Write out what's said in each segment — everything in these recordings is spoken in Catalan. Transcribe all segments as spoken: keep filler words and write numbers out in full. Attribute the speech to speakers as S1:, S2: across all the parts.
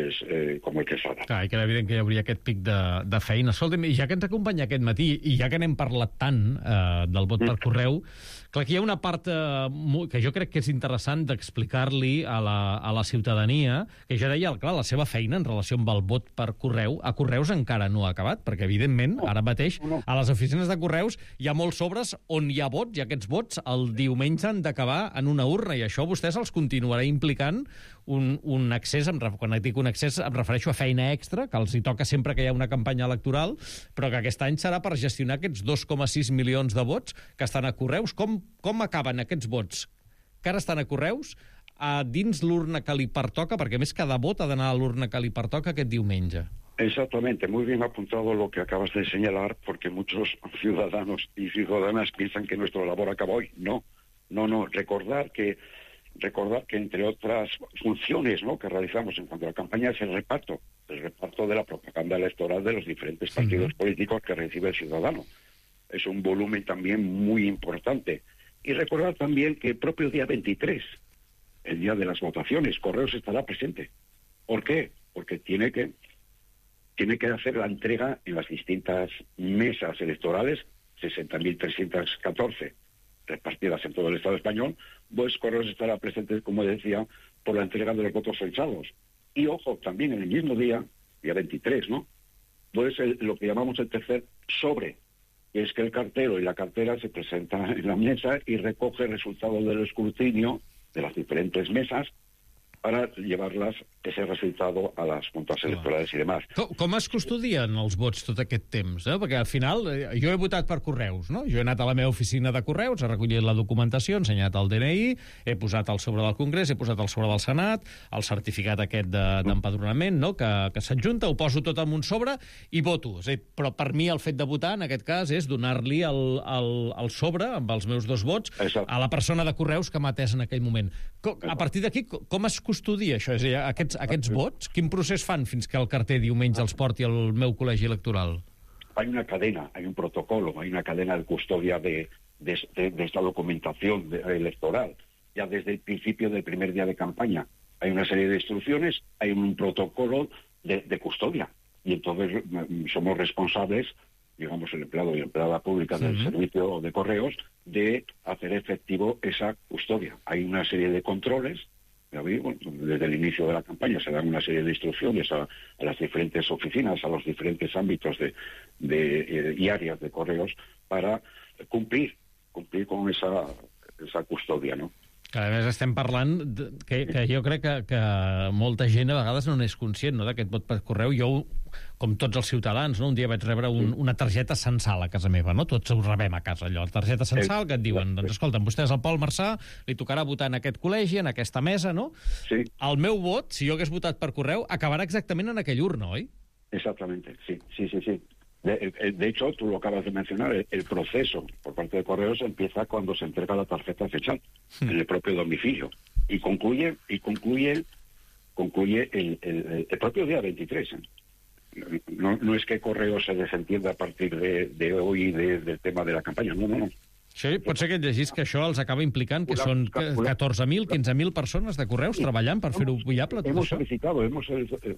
S1: pues, eh, como el Quesada.
S2: Clar, que era evident que hi hauria aquest pic de, de feina. Escolta'm, ja que ens acompanya aquest matí, i ja que n'hem parlat tant eh, del vot per correu, clar, que hi ha una part eh, que jo crec que és interessant d'explicar-li a, la, a la ciutadania, que ja deia, clar, la seva feina en relació amb el vot per correu, a Correus encara no ha acabat, perquè, evidentment, ara mateix, a les oficines de Correus hi ha molts sobres on hi ha vots, i aquests vots el diumenge han d'acabar en una urna, i això vostès els continuarà implicant un, un accés, quan dic un accés em refereixo a feina extra, que els hi toca sempre que hi ha una campanya electoral, però que aquest any serà per gestionar aquests dos coma sis milions de vots que estan a Correus. Com, com acaben aquests vots que ara estan a Correus a dins l'urna que li pertoca? Perquè, a més, cada vot ha d'anar a l'urna que li pertoca aquest diumenge.
S1: Exactamente, muy bien apuntado lo que acabas de señalar, porque muchos ciudadanos y ciudadanas piensan que nuestra labor acaba hoy. No, no, no. Recordar que recordar que entre otras funciones, ¿no?, que realizamos en cuanto a la campaña es el reparto, el reparto de la propaganda electoral de los diferentes partidos sí. políticos que recibe el ciudadano. Es un volumen también muy importante. Y recordar también que el propio día veintitrés, el día de las votaciones, Correos estará presente. ¿Por qué? Porque tiene que tiene que hacer la entrega en las distintas mesas electorales, sesenta mil trescientas catorce repartidas en todo el Estado español, pues Correos estará presente, como decía, por la entrega de los votos censados. Y ojo, también en el mismo día, día veintitrés, ¿no?, pues el, lo que llamamos el tercer sobre, que es que el cartero y la cartera se presentan en la mesa y recoge el resultado del escrutinio de las diferentes mesas para llevarlas, ese resultado, a les juntes electorals i demás.
S2: Com, com es custodien els vots tot aquest temps? Eh? Perquè al final, eh, jo he votat per Correus, no? Jo he anat a la meva oficina de Correus, he recollit la documentació, he ensenyat el D N I, he posat el sobre del Congrés, he posat el sobre del Senat, el certificat aquest d'empadronament, no?, que, que s'adjunta, ho poso tot en un sobre i voto. És a dir, però per mi el fet de votar, en aquest cas, és donar-li el, el, el sobre, amb els meus dos vots, Exacte. a la persona de Correus que m'ha atès en aquell moment. Com, a partir d'aquí, com es custodia això? És a dir, aquests, aquests vots, quin procés fan fins que el carter diumenge els porti al meu col·legi electoral?
S1: Hay una cadena, hay un protocolo, hay una cadena de custodia de, de, de, de esta documentación de, electoral. Ya desde el principio del primer día de campaña hay una serie de instrucciones, hay un protocolo de, de custodia. Y entonces somos responsables, digamos, el empleado y empleada pública del uh-huh. servicio de Correos, de hacer efectivo esa custodia. Hay una serie de controles. Desde el inicio de la campaña se dan una serie de instrucciones a, a las diferentes oficinas, a los diferentes ámbitos de, de, eh, y áreas de Correos para cumplir, cumplir con esa, esa custodia, ¿no?
S2: Que a més estem parlant de, que, que jo crec que, que molta gent a vegades no n'és conscient, no?, d'aquest vot per correu. Jo, com tots els ciutadans, no?, un dia vaig rebre un, una targeta censal a casa meva, no? Tots ho rebem a casa, allò, targeta censal, que et diuen, doncs escolta'm, vostè és el Pol Marçà, li tocarà votar en aquest col·legi, en aquesta mesa, no?
S1: Sí.
S2: El meu vot, si jo hagués votat per correu, acabarà exactament en aquell urna, oi?
S1: Exactamente, sí, sí, sí, sí. De, de hecho, tú lo acabas de mencionar, el, el proceso por parte de Correos empieza cuando se entrega la tarjeta fechal hmm. en el propio domicilio y concluye y concluye concluye el, el, el propio día veintitrés. ¿eh? No, no es que Correos se desentienda a partir de, de hoy de, del tema de la campaña, no, no, no.
S2: Sí, pot ser que llegís que això els acaba implicant, que són catorze mil, quinze mil persones de Correus sí. treballant per fer-ho viable, tot
S1: hemos
S2: això?
S1: solicitado, hemos,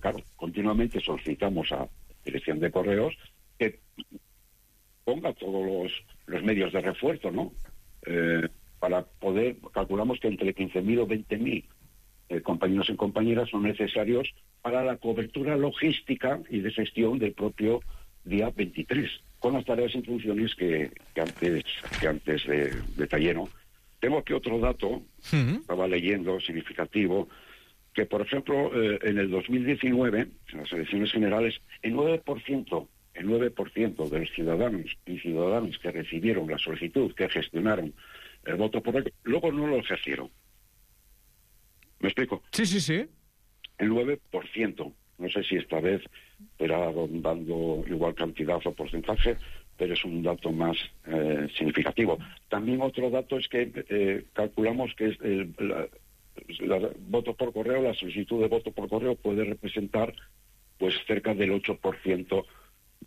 S1: claro, continuamente solicitamos a Dirección de Correos que ponga todos los, los medios de refuerzo, ¿no? Eh, para poder, calculamos que entre quince mil o veinte mil eh, compañeros y compañeras son necesarios para la cobertura logística y de gestión del propio día veintitrés, con las tareas y funciones que, que antes, que antes de, detallé, ¿no? Tengo aquí otro dato, uh-huh. estaba leyendo, significativo, que por ejemplo eh, en el dos mil diecinueve, en las elecciones generales, el nueve por ciento el nueve por ciento de los ciudadanos y ciudadanas que recibieron la solicitud, que gestionaron el voto por ello, luego no lo ejercieron. ¿Me explico?
S2: Sí, sí, sí.
S1: El nueve por ciento. No sé si esta vez será dando igual cantidad o porcentaje, pero es un dato más eh, significativo. También otro dato es que eh, calculamos que es el, la, la voto por correo, la solicitud de voto por correo puede representar pues cerca del ocho por ciento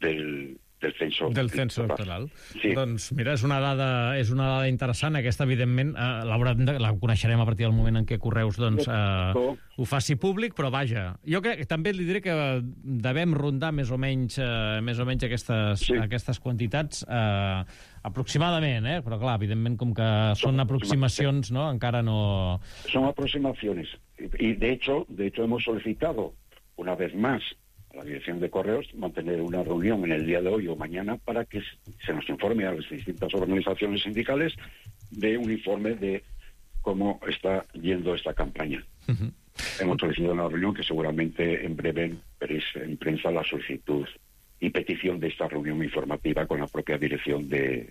S1: del, del censo
S2: del censo electoral.
S1: Sí.
S2: Doncs mira, és una dada, és una dada interessant. Aquesta, evidentment, eh, la, la coneixerem a partir del moment en què Correus doncs, eh, ho faci públic, però vaja, jo crec que també li diré que devem rondar més o menys, eh, més o menys aquestes, sí. aquestes quantitats eh, aproximadament, eh? Però clar, evidentment, com que són aproximacions, ¿no? Encara no...
S1: Son aproximaciones. Y de hecho, de hecho hemos solicitado una vez más a la Dirección de Correos mantener una reunión en el día de hoy o mañana para que se nos informe a las distintas organizaciones sindicales de un informe de cómo está yendo esta campaña. Uh-huh. Hemos solicitado una reunión que seguramente en breve veréis en prensa la solicitud y petición de esta reunión informativa con la propia Dirección de...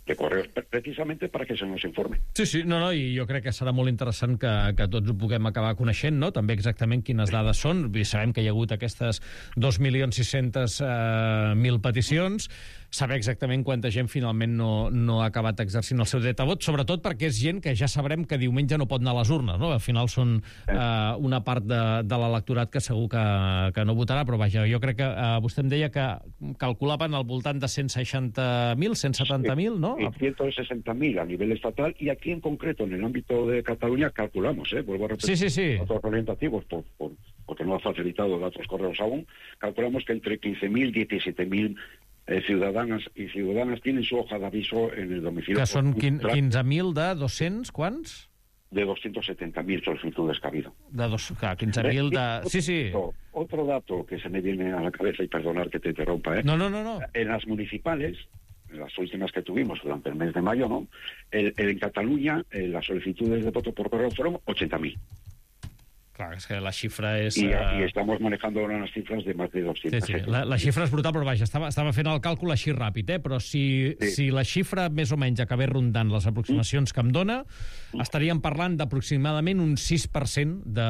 S1: de Correos, precisamente para que se nos informe.
S2: Sí, sí, no, no, i jo crec que serà molt interessant que, que tots ho puguem acabar coneixent, no? També exactament quines dades són. Sabem que hi ha hagut aquestes dos milions sis-cents mil peticions, saber exactament quanta gent finalment no, no ha acabat exercint el seu dret a vot, sobretot perquè és gent que ja sabrem que diumenge no pot anar a les urnes, no? Al final són eh, una part de, de l'electorat que segur que, que no votarà, però vaja, jo crec que eh, vostè em deia que calculaven al voltant de cent seixanta mil, cent setanta mil, no?
S1: Y ciento sesenta mil a nivel estatal, y aquí en concreto, en el ámbito de Cataluña, calculamos, ¿eh? Vuelvo a repetir,
S2: sí, sí, sí.
S1: datos orientativos, por, por, porque no ha facilitado datos Correos aún, calculamos que entre quince mil y diecisiete mil eh, ciudadanas y ciudadanas tienen su hoja de aviso en el domicilio.
S2: Que són quinze mil de dos-cents, quants?
S1: De doscientos setenta mil solicitudes que ha habido.
S2: De dos, clar, quinze mil de... Sí, sí.
S1: Otro, otro dato que se me viene a la cabeza, y perdonar que te interrumpa, ¿eh?
S2: No, no, no, no.
S1: En las municipales, las últimas que tuvimos durante el mes de mayo, ¿no? El, el, en Cataluña, eh, las solicitudes de voto por correo fueron ochenta mil.
S2: Clar, és que la xifra és...
S1: I,
S2: uh...
S1: i estamos manejando ahora unas cifras de más de doscientos.
S2: Sí, sí. La, la xifra és brutal, però vaja, estava, estava fent el càlcul així ràpid, eh? Però si, sí. si la xifra més o menys acabés rondant les aproximacions mm. que em dona, mm. estaríem parlant d'aproximadament un sis per cent de,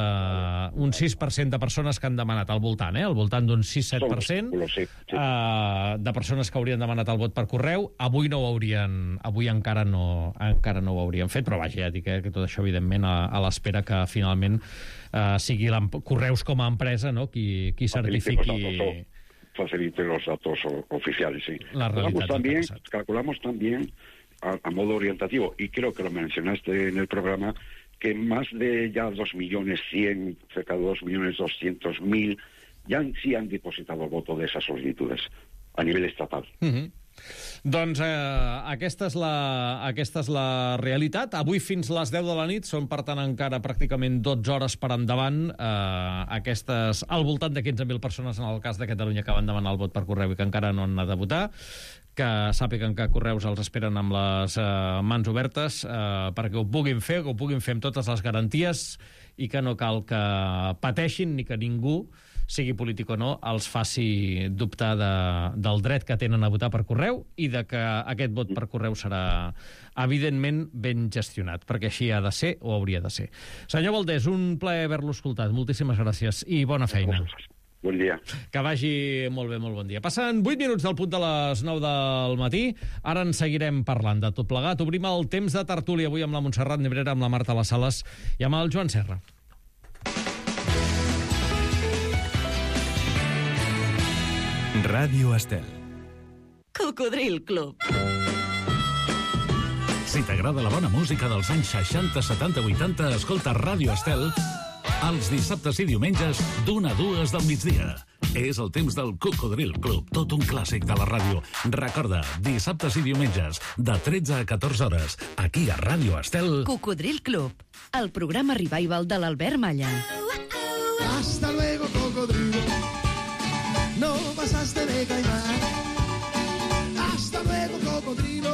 S2: un sis per cent de persones que han demanat al voltant, eh? Al voltant d'un sis set per cent
S1: sí, sí.
S2: uh, de persones que haurien demanat el vot per correu. Avui no ho haurien, avui encara no, encara no ho haurien fet, però vaja, ja dic eh, que tot això, evidentment, a, a l'espera que finalment Uh, sigui Correus com a empresa, ¿no? qui, qui certifiqui...
S1: Facilite los datos oficiales, sí.
S2: La
S1: calculamos también, calculamos también a, a modo orientativo, y creo que lo mencionaste en el programa, que más de ya dos millones cien, cerca de dos millones doscientos mil, ya sí han depositado el voto de esas solicitudes a nivel estatal.
S2: Uh-huh. Doncs eh, aquesta, és la, aquesta és la realitat. Avui fins les deu de la nit són, per tant, encara pràcticament dotze hores per endavant. Eh, aquestes, al voltant de quinze mil persones, en el cas de Catalunya, que van demanar el vot per correu i que encara no han anat a votar, que sàpiguen que Correus els esperen amb les eh, mans obertes eh, perquè ho puguin fer, que ho puguin fer amb totes les garanties i que no cal que pateixin ni que ningú, sigui polític o no, els faci dubtar de, del dret que tenen a votar per correu i de que aquest vot per correu serà, evidentment, ben gestionat, perquè així ha de ser o hauria de ser. Senyor Valdés, un plaer haver-lo escoltat. Moltíssimes gràcies i bona feina.
S1: Bon dia.
S2: Que vagi molt bé, molt bon dia. Passen vuit minuts del punt de les nou del matí. Ara en seguirem parlant de tot plegat. Obrim el temps de tertúlia avui amb la Montserrat Nebrera, amb la Marta Las Sales i amb el Joan Serra.
S3: Ràdio Estel.
S4: Cocodril Club.
S3: Si t'agrada la bona música dels anys seixanta, setanta, vuitanta, escolta Ràdio Estel els dissabtes i diumenges d'una a dues del migdia. És el temps del Cocodril Club, tot un clàssic de la ràdio. Recorda, dissabtes i diumenges, de tretze a catorze hores, aquí a Ràdio Estel.
S4: Cocodril Club, el programa revival de l'Albert Malla.
S5: Hasta luego, cocodrilo. No pasaste de caimán. Hasta luego, cocodrilo.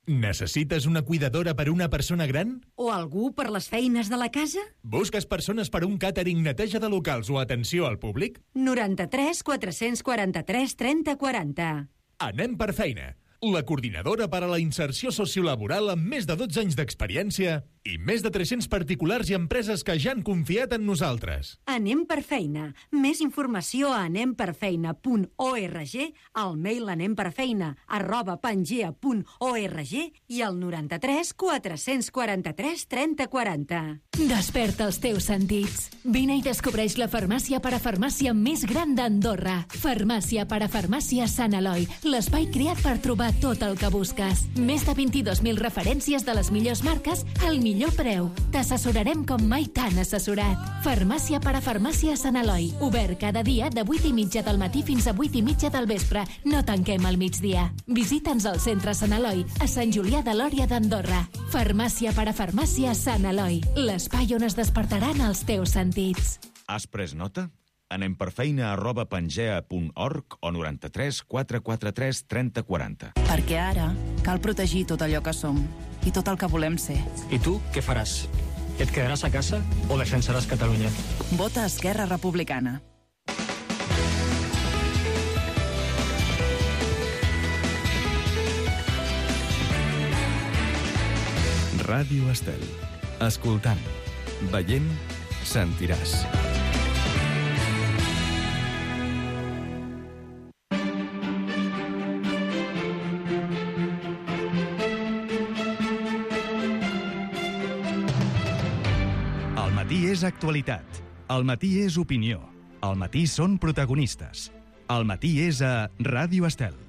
S3: Necessites una cuidadora per una persona gran?
S4: O algú per les feines de la casa?
S3: Busques persones per un càtering, neteja de locals o atenció al públic?
S4: noranta-tres quatre-cents quaranta-tres trenta quaranta.
S3: Anem per feina. La coordinadora per a la inserció sociolaboral amb més de dotze anys d'experiència
S6: i més de tres-cents particulars i empreses que ja han confiat en nosaltres.
S7: Anem per feina. Més informació a anem per feina punt org, al mail anemperfeina arroba pangea punt org i al noranta-tres quatre-cents quaranta-tres trenta quaranta.
S8: Desperta els teus sentits. Vine i descobreix la farmàcia parafarmàcia més gran d'Andorra. Farmàcia parafarmàcia Sant Eloi, l'espai creat per trobar tot el que busques. Més de vint-i-dos mil referències de les millors marques al millor preu. T'assessorarem com mai t'han assessorat. Farmàcia parafarmàcia Sant Eloi, obert cada dia de vuit i mitja del matí fins a vuit i mitja del vespre. No tanquem al migdia. Visita'ns al centre Sant Eloi, a Sant Julià de Lòria d'Andorra. Farmàcia parafarmàcia Sant Eloi, l'espai on es despertaran els teus sentits.
S9: Has pres nota? Anem per feina arroba pangea punt org o noranta-tres quatre quaranta-tres trenta quaranta.
S10: Perquè ara cal protegir tot allò que som i tot el que volem ser.
S11: I tu què faràs? Et quedaràs a casa o defensaràs Catalunya?
S10: Vota Esquerra Republicana.
S12: Ràdio Estel. Escoltant, veient, sentiràs.
S13: El matí és actualitat. El matí és opinió. El matí són protagonistes. El matí és a Ràdio Estel.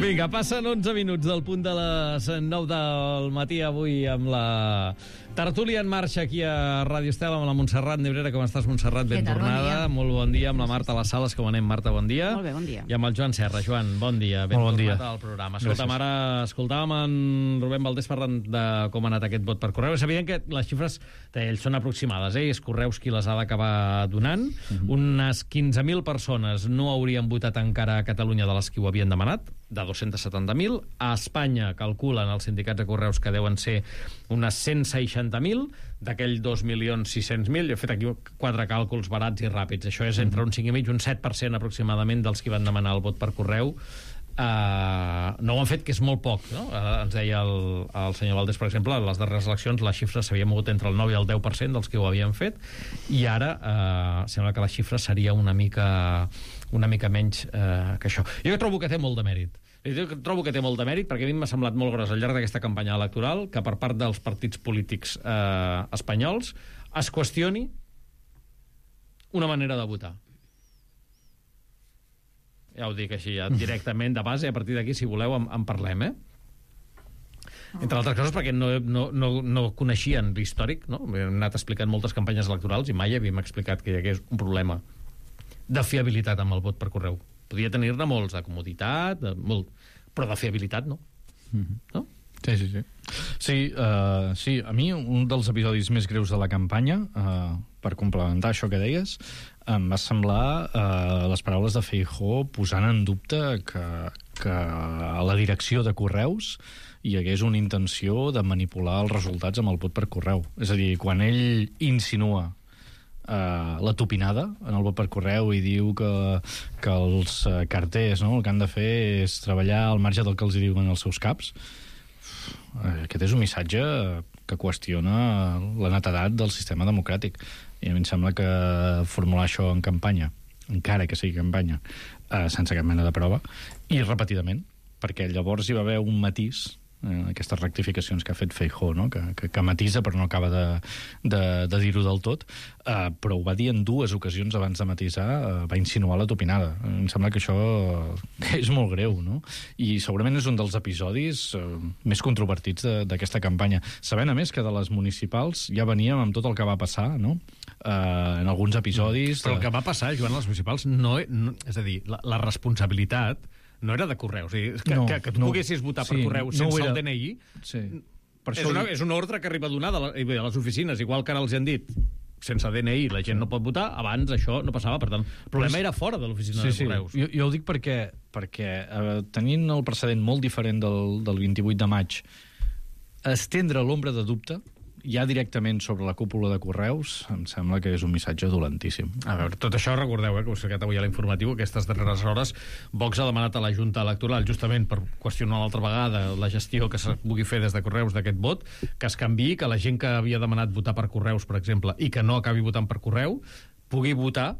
S2: Vinga, passen onze minuts del punt de les nou del matí avui amb la tertúlia en marxa aquí a Ràdio Estel amb la Montserrat Nebrera. Com estàs, Montserrat? Ben
S14: tal?
S2: tornada.
S14: Bon
S2: Molt bon dia. Amb la Marta Les Sales. Com anem, Marta? Bon dia.
S14: Molt bé, bon dia.
S2: I amb el Joan Serra. Joan, bon dia. Ben
S15: Molt bon dia.
S2: tornat al programa. Escolta'm, ara escoltàvem en Rubén Valdés parlant de com ha anat aquest vot per correu. És evident que les xifres d'ells són aproximades, eh? És Correus qui les ha d'acabar donant. Mm-hmm. Unes quinze mil persones no haurien votat encara a Catalunya de les que ho havien demanat, de dos-cents setanta mil. A Espanya calculen els sindicats de Correus que deuen ser unes cent seixanta mil, d'aquell dos milions sis-cents mil. Jo he fet aquí quatre càlculs barats i ràpids. Això és entre un cinc i mig i un set per cent aproximadament dels que van demanar el vot per correu. Uh, no ho han fet, que és molt poc, no? Uh, ens deia el, el senyor Valdés, per exemple, a les darreres eleccions la xifra s'havia mogut entre el nou i el deu per cent dels que ho havien fet, i ara uh, sembla que la xifra seria una mica una mica menys uh, que això. Jo trobo que té molt de mèrit. Jo trobo que té molt de mèrit perquè a mi m'ha semblat molt gros al llarg d'aquesta campanya electoral que per part dels partits polítics uh, espanyols es qüestioni una manera de votar. Ja ho dic així, ja, directament de base, a partir d'aquí, si voleu, en, en parlem, eh? Entre altres coses perquè no, no, no, no coneixien l'històric, no? Hem anat explicant moltes campanyes electorals i mai havíem explicat que hi hagués un problema de fiabilitat amb el vot per correu. Podia tenir-ne molts, de comoditat, de molt, però de fiabilitat no.
S15: Mm-hmm.
S2: No?
S15: Sí, sí, sí. Sí, uh, sí, a mi un dels episodis més greus de la campanya, uh, per complementar això que deies, em va semblar uh, les paraules de Feijóo posant en dubte que, que a la direcció de Correus hi hagués una intenció de manipular els resultats amb el vot per correu. És a dir, quan ell insinua uh, la tupinada en el vot per correu i diu que, que els uh, carters, no, el que han de fer és treballar al marge del que els diuen els seus caps, aquest és un missatge que qüestiona la netedat del sistema democràtic. I a mi em sembla que formular això en campanya, encara que sigui campanya, eh, sense cap mena de prova, i repetidament, perquè llavors hi va haver un matís eh, aquestes rectificacions que ha fet Feijóo, no? que, que, que matisa però no acaba de, de, de dir-ho del tot, eh, però ho va dir en dues ocasions abans de matisar, eh, va insinuar la topinada. Em sembla que això eh, és molt greu, no? I segurament és un dels episodis eh, més controvertits d'aquesta campanya. Sabent, a més, que de les municipals ja veníem amb tot el que va passar, no? Eh, en alguns episodis...
S2: Però el que va passar, Joan, a les municipals, no, no, és a dir, la, la responsabilitat no era de Correus. És dir, que, no, que, que tu no, poguessis votar sí, per Correus sense no el D N I
S15: sí. per
S2: és, una, és una ordre que arriba donada a les oficines, igual que ara els han dit sense D N I la gent no pot votar, abans això no passava, per tant, el problema era fora de l'oficina sí, de Correus.
S15: Sí. Jo, jo ho dic perquè, perquè eh, tenint el precedent molt diferent del, del vint-i-vuit de maig, estendre l'ombra de dubte ja directament sobre la cúpula de Correus, em sembla que és un missatge dolentíssim.
S2: A veure, tot això recordeu, eh, que us he ficat avui a l'informatiu, aquestes darreres hores, Vox ha demanat a la Junta Electoral, justament per qüestionar l'altra vegada la gestió que se pugui fer des de Correus d'aquest vot, que es canviï, que la gent que havia demanat votar per Correus, per exemple, i que no acabi votant per correu, pugui votar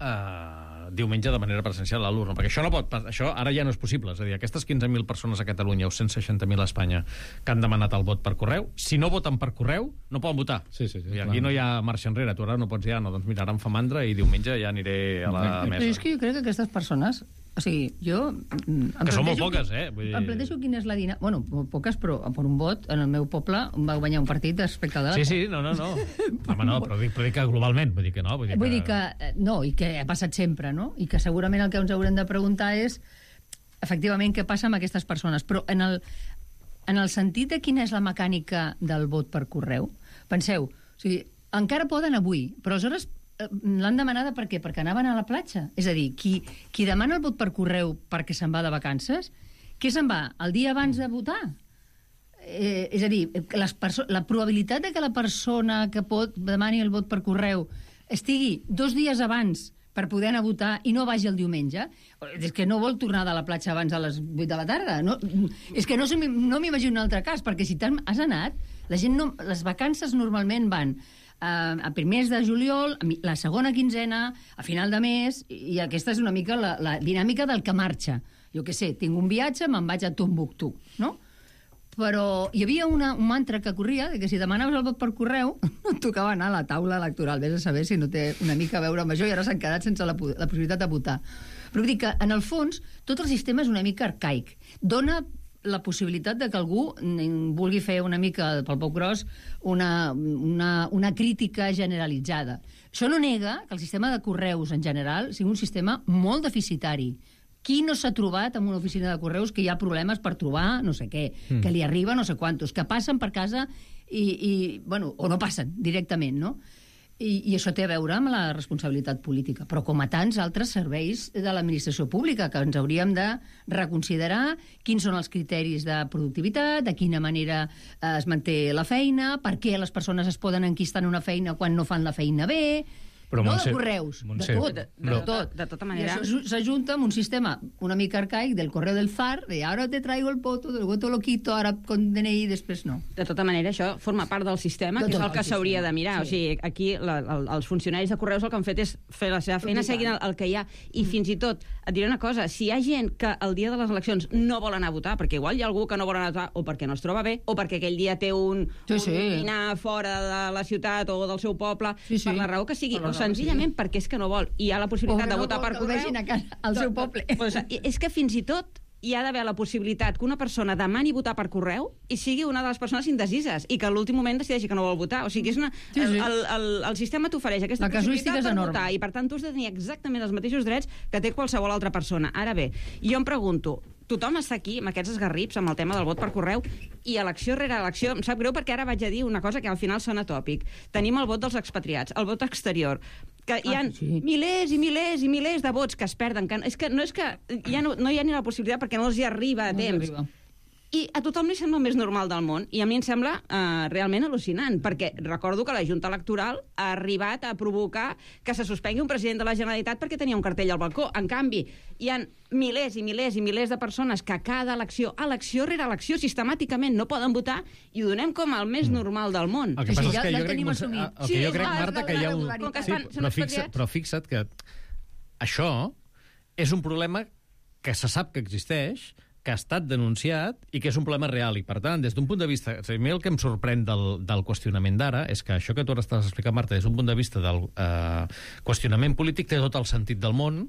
S2: eh, diumenge de manera presencial a l'urna, perquè això no pot, això ara ja no és possible, és a dir, aquestes quinze mil persones a Catalunya o cent seixanta mil a Espanya que han demanat el vot per correu, si no voten per correu, no poden votar.
S15: Sí, sí, sí,
S2: I aquí clar. No hi ha marxa enrere, tu ara no pots ja, no, doncs mira, ara em fa mandra i diumenge ja aniré a la mesa.
S14: Però és que jo crec que aquestes persones, o sigui, jo...
S2: Que són molt poques, eh? Vull dir...
S14: Em planteixo quina és la dinàmica... Bueno, poques, però per un vot, en el meu poble va guanyar un partit respecte de...
S2: Sí, sí, no, no, no. Home, no, però dic, però dic que globalment, vull dir que no.
S14: Vull dir que... Vull dir que no, i que ha passat sempre, no? I que segurament el que ens haurem de preguntar és, efectivament, què passa amb aquestes persones. Però en el, en el sentit de quina és la mecànica del vot per correu, penseu, o sigui, encara poden avui, però aleshores l'han demanada per què? Perquè anaven a la platja. És a dir, qui, qui demana el vot per correu perquè se'n va de vacances, què se'n va? El dia abans de votar? Eh, és a dir, les la probabilitat de que la persona que pot demani el vot per correu estigui dos dies abans per poder anar a votar i no vagi el diumenge, és que no vol tornar de la platja abans a les vuit de la tarda. No, és que no, no m'imagino un altre cas, perquè si has anat, la gent no, les vacances normalment van a primers de juliol, la segona quinzena, a final de mes, i aquesta és una mica la, la dinàmica del que marxa. Jo què sé, tinc un viatge, me'n vaig a Tombuctú, no? Però hi havia una, un mantra que corria, de que si demanaves el vot per correu, no et tocava anar a la taula electoral. Vés a saber si no té una mica a veure amb això i ara s'han quedat sense la, la possibilitat de votar. Però vull dir que, en el fons, tot el sistema és una mica arcaic. Dona la possibilitat de que algú vulgui fer una mica, pel poc gros, una, una, una crítica generalitzada. Això no nega que el sistema de correus, en general, sigui un sistema molt deficitari. Qui no s'ha trobat en una oficina de correus que hi ha problemes per trobar no sé què, mm. que li arriba no sé quantos, que passen per casa i, i bueno, o no passen directament, no? I, I això té a veure amb la responsabilitat política, però com a tants altres serveis de l'administració pública, que ens hauríem de reconsiderar quins són els criteris de productivitat, de quina manera eh, es manté la feina, per què les persones es poden enquistar en una feina quan no fan la feina bé... Però no Montse, de correus, Montse, de tot, de, de, de, tot.
S16: De tota manera...
S14: I això s'ajunta amb un sistema una mica arcaic del correu del zar, de ara te traigo el voto, del voto lo quito, ara con D N I, després no.
S16: De tota manera, això forma part del sistema, de que és el que s'hauria de mirar. Sí. O sigui, aquí la, el, els funcionaris de correus el que han fet és fer la seva feina seguint el, el que hi ha. I mm. fins i tot, et diré una cosa, si hi ha gent que el dia de les eleccions no vol anar a votar, perquè igual hi ha algú que no vol anar a votar, o perquè no es troba bé, o perquè aquell dia té un,
S14: sí, sí.
S16: un dinar fora de la ciutat o del seu poble,
S14: sí, sí.
S16: per la raó que sigui, o senzillament sí. perquè és que no vol, i hi ha la possibilitat de votar
S14: no
S16: per correu...
S14: a casa, al seu poble.
S16: Pues, és que fins i tot hi ha d'haver la possibilitat que una persona demani votar per correu i sigui una de les persones indecises i que a l'últim moment decideixi que no vol votar. O sigui, és una, sí, sí. El, el, el sistema t'ofereix aquesta possibilitat per
S14: enorme.
S16: votar i, per tant, tu has de tenir exactament els mateixos drets que té qualsevol altra persona. Ara bé, jo em pregunto, tothom està aquí amb aquests esgarrips, amb el tema del vot per correu, i elecció rere elecció, em sap greu perquè ara vaig a dir una cosa que al final sona tòpic. Tenim el vot dels expatriats, el vot exterior, que hi ha ah, sí. milers i milers i milers de vots que es perden. Que, és que no és que ja no, no hi ha ni la possibilitat perquè no els hi arriba a no temps. Arriba. I a tothom li sembla el més normal del món. I a mi em sembla uh, realment al·lucinant, perquè recordo que la Junta Electoral ha arribat a provocar que se suspengui un president de la Generalitat perquè tenia un cartell al balcó. En canvi, hi ha milers i milers i milers de persones que a cada elecció, elecció rere elecció, sistemàticament no poden votar i ho donem com el més normal del món.
S2: El que passa és que jo crec, el que jo crec, Marta, que hi ha un... Sí, però, fixa, però fixa't que això és un problema que se sap que existeix, que ha estat denunciat i que és un problema real. I, per tant, des d'un punt de vista... A mi el que em sorprèn del, del qüestionament d'ara és que això que tu ara estàs explicant, Marta, des d'un punt de vista del eh, qüestionament polític té tot el sentit del món,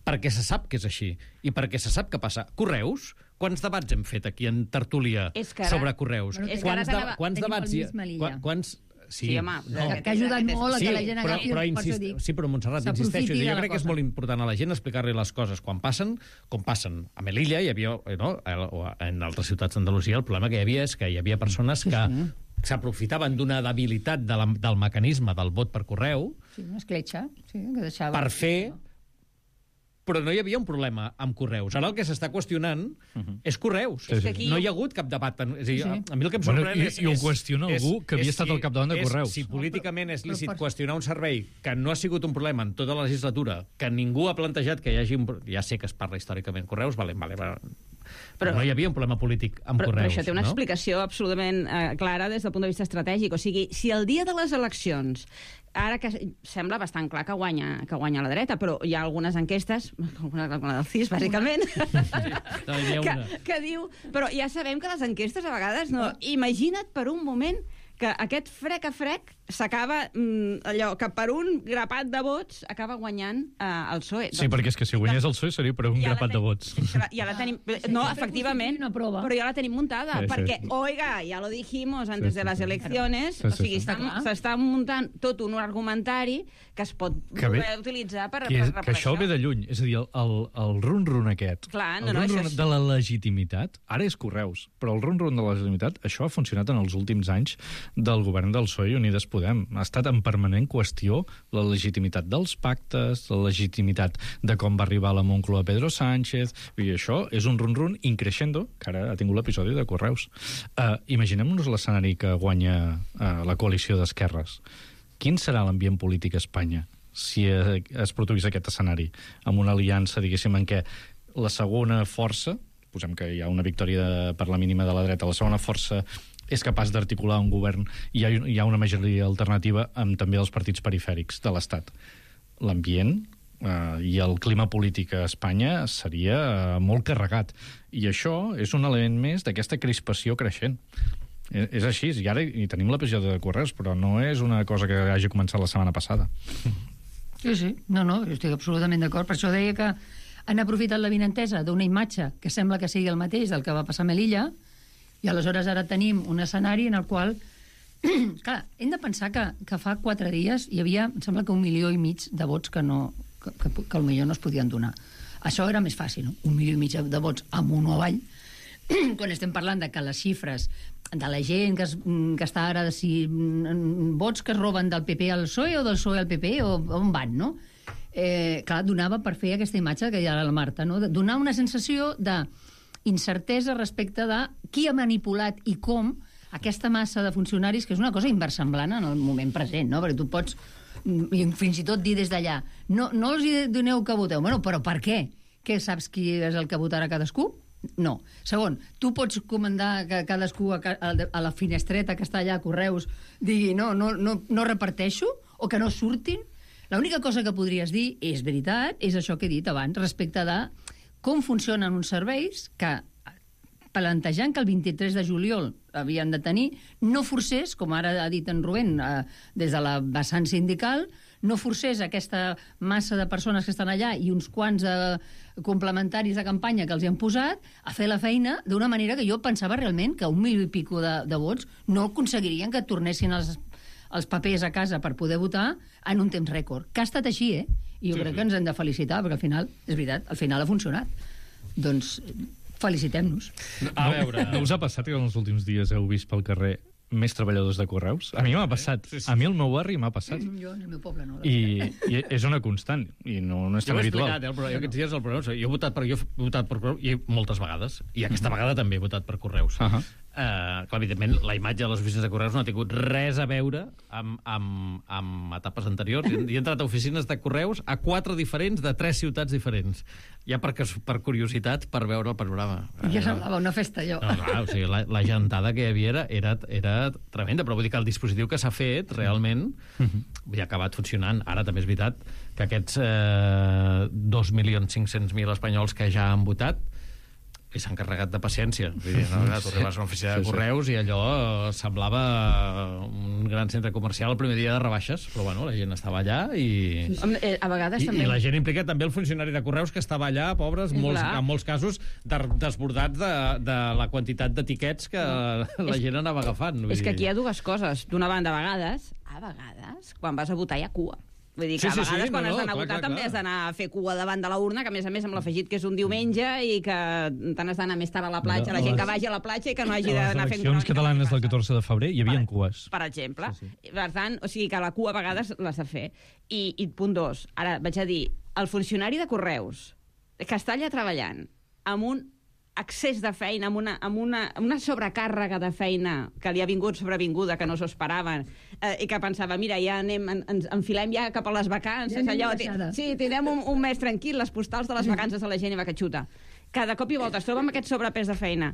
S2: perquè se sap que és així i perquè se sap que passa. Correus, quants debats hem fet aquí en tertúlia
S16: ara,
S2: sobre Correus?
S16: Bueno,
S2: quants, de, quants debats hi ha? Quants...
S16: Sí, sí, home,
S2: no.
S14: que, que ha ajudat molt a que
S2: sí,
S14: la gent
S2: però,
S14: agafi...
S2: però insist... Sí, però Montserrat, insisteixo, jo crec que és molt important a la gent explicar-li les coses quan passen, com passen. A Melilla hi havia, no? O en altres ciutats d'Andalusia, el problema que hi havia és que hi havia persones que sí, sí. s'aprofitaven d'una debilitat de la, del mecanisme del vot per correu
S14: sí, una escletxa, sí, que deixava...
S2: per fer... Però no hi havia un problema amb Correus. Ara el que s'està qüestionant uh-huh. és Correus. Sí, sí. No hi ha hagut cap debat. És a dir, sí. A mi el que em sorprèn
S15: bueno, i,
S2: és...
S15: I ho qüestiona és, algú que havia estat al capdavant de Correus.
S2: És, si políticament és lícit però, però, qüestionar un servei que no ha sigut un problema en tota la legislatura, que ningú ha plantejat que hi hagi un... Ja sé que es parla històricament Correus, vale, vale, vale. Però no hi havia un problema polític amb
S16: però,
S2: Correus.
S16: Però això té una
S2: no?
S16: explicació absolutament eh, clara des del punt de vista estratègic. O sigui, si el dia de les eleccions, ara que sembla bastant clar que guanya, que guanya la dreta, però hi ha algunes enquestes, alguna, alguna del C I S, bàsicament,
S2: sí,
S16: que, que diu... Però ja sabem que les enquestes a vegades no... Imagina't per un moment que aquest frec a frec s'acaba, mm, allò, que per un grapat de vots acaba guanyant eh, el P S O E.
S15: Sí, doncs, perquè és que si guanyés el P S O E seria per un ja grapat de vots.
S16: Ja la tenim... No, efectivament, però ja la tenim muntada, sí, perquè, sí. Oiga, ja lo dijimos antes sí, sí, de les eleccions, sí, sí, o sigui, s'està muntant tot un argumentari que es pot que ve, utilitzar per,
S15: que,
S16: és,
S15: per, per que això. això ve de lluny, és a dir, el, el, el run-run aquest,
S16: Clar, no,
S15: el
S16: no,
S15: run-run
S16: és...
S15: de la legitimitat, ara és Correus, però el run-run de la legitimitat, això ha funcionat en els últims anys del govern del P S O E i Unides Podem. Ha estat en permanent qüestió la legitimitat dels pactes, la legitimitat de com va arribar a la Moncloa Pedro Sánchez, i això és un run-run increixendo, que ara ha tingut l'episodi de Correus. Uh, Imaginem-nos l'escenari que guanya uh, la coalició d'esquerres. Quin serà l'ambient polític a Espanya si es produís aquest escenari, amb una aliança, diguéssim, en què la segona força, posem que hi ha una victòria per la mínima de la dreta, la segona força és capaç d'articular un govern i hi ha, hi ha una majoria alternativa amb també els partits perifèrics de l'Estat. L'ambient eh, i el clima polític a Espanya seria eh, molt carregat. I això és un element més d'aquesta crispació creixent. És, és així, i ara hi tenim l'episodi de Correus, però no és una cosa que hagi començat la setmana passada.
S14: Sí, sí, no, no, jo estic absolutament d'acord. Per això deia que han aprofitat la vinentesa d'una imatge que sembla que sigui el mateix del que va passar a Melilla, i aleshores ara tenim un escenari en el qual... Clar, hem de pensar que, que fa quatre dies hi havia, em sembla que un milió i mig de vots que, no, que, que, que potser no es podien donar. Això era més fàcil, no? Un milió i mig de vots amunt o avall. Quan estem parlant de que les xifres de la gent que, es, que està ara, de si vots que es roben del P P al P S O E o del P S O E al P P, o on van, no? Eh, clar, donava per fer aquesta imatge que hi ha a la Marta, no? Donar una sensació de incertesa respecte de qui ha manipulat i com aquesta massa de funcionaris, que és una cosa inversemblant en el moment present, no? Perquè tu pots, fins i tot dir des d'allà, no, no els doneu que voteu. Bueno, però per què? Què saps qui és el que votarà cadascú? No. Segon, tu pots comandar que cadascú a, a la finestreta que està allà a Correus digui no, no, no, no reparteixo, o que no surtin? L'única cosa que podries dir, és veritat, és això que he dit abans, respecte de com funcionen uns serveis que, plantejant que el vint-i-tres de juliol havien de tenir, no forcés, com ara ha dit en Rubén, eh, des de la vessant sindical, no forcés aquesta massa de persones que estan allà i uns quants eh, complementaris de campanya que els hi han posat a fer la feina d'una manera que jo pensava realment que un milió i pico de, de vots no aconseguirien que tornessin els, els papers a casa per poder votar en un temps rècord. Que ha estat així, eh? I jo sí, crec sí. que ens hem de felicitar, perquè al final, és veritat, al final ha funcionat. Doncs felicitem-nos.
S15: A veure... No, no us ha passat que en els últims dies heu vist pel carrer més treballadors de Correus? A mi m'ha passat. Sí, sí. A mi el meu barri m'ha passat.
S14: Jo en el meu poble no.
S15: I, i és una constant, i no, no és tan habitual.
S2: Jo ho he explicat, eh, però jo aquests dies el Correus, jo he votat per, jo he votat per Correus i moltes vegades, i aquesta uh-huh. vegada també he votat per Correus. Uh -huh. Uh, clar, evidentment, la imatge de les oficines de Correus no ha tingut res a veure amb, amb, amb etapes anteriors. He entrat a oficines de Correus a quatre diferents, de tres ciutats diferents. Ja per, per curiositat, per veure el panorama.
S14: Ja semblava una festa, allò.
S2: No, clar, o sigui, la, la gentada que hi havia era, era, era tremenda, però vull dir que el dispositiu que s'ha fet, realment, uh-huh. ha acabat funcionant. Ara també és veritat que aquests eh, dos milions cinc-cents mil espanyols que ja han votat i s'han carregat de paciència. Vull dir, no, tu arribes a una oficina de correus i allò semblava un gran centre comercial el primer dia de rebaixes, però bueno, la gent estava allà i...
S16: A vegades
S2: I,
S16: també...
S2: I la gent implica també el funcionari de correus que estava allà, pobres, molts, en molts casos de, desbordats de, de la quantitat d'etiquets que no. la gent anava agafant.
S16: És que aquí hi ha dues coses. D'una banda, a vegades, a vegades, quan vas a votar hi ha cua. Vull dir que
S2: sí,
S16: a vegades
S2: sí, sí,
S16: quan
S2: no,
S16: has d'anar
S2: no,
S16: a votar
S2: clar,
S16: també
S2: clar.
S16: has d'anar a fer cua davant de la urna, que a més a més amb l'afegit que és un diumenge i que tant has d'anar més tard a la platja, la gent que vagi a la platja i que no hagi d'anar fent...
S15: A les eleccions catalanes del catorze de febrer hi havia cues.
S16: Per exemple. Sí, sí. Per tant, o sigui que la cua a vegades l'has de fer. I, i punt dos, ara vaig a dir, el funcionari de correus que està allà treballant amb un excés de feina, amb una, amb una, amb una sobrecàrrega de feina que li ha vingut sobrevinguda, que no s'ho esperaven, eh, i que pensava, mira, ja anem, en, ens enfilem ja cap a les vacances,
S14: Ja
S16: allò,
S14: baixada.
S16: sí, tindrem un, un mes tranquil, les postals de les vacances de la gent i va que xuta. Cada cop i volta es troba amb aquest sobrepès de feina.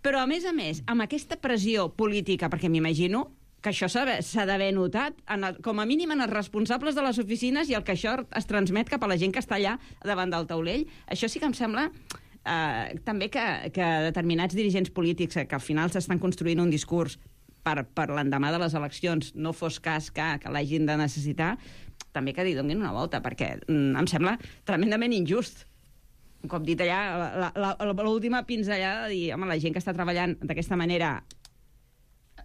S16: Però, a més a més, amb aquesta pressió política, perquè m'imagino que això s'ha d'haver notat, en el, com a mínim en els responsables de les oficines i el que això es transmet cap a la gent que està allà davant del taulell, això sí que em sembla... Uh, també que, que determinats dirigents polítics que al final s'estan construint un discurs per, per l'endemà de les eleccions, no fos cas que, que l'hagin de necessitar, també que li donin una volta, perquè mm, em sembla tremendament injust. Un cop dit allà, l'última pinzellada de dir, home, la gent que està treballant d'aquesta manera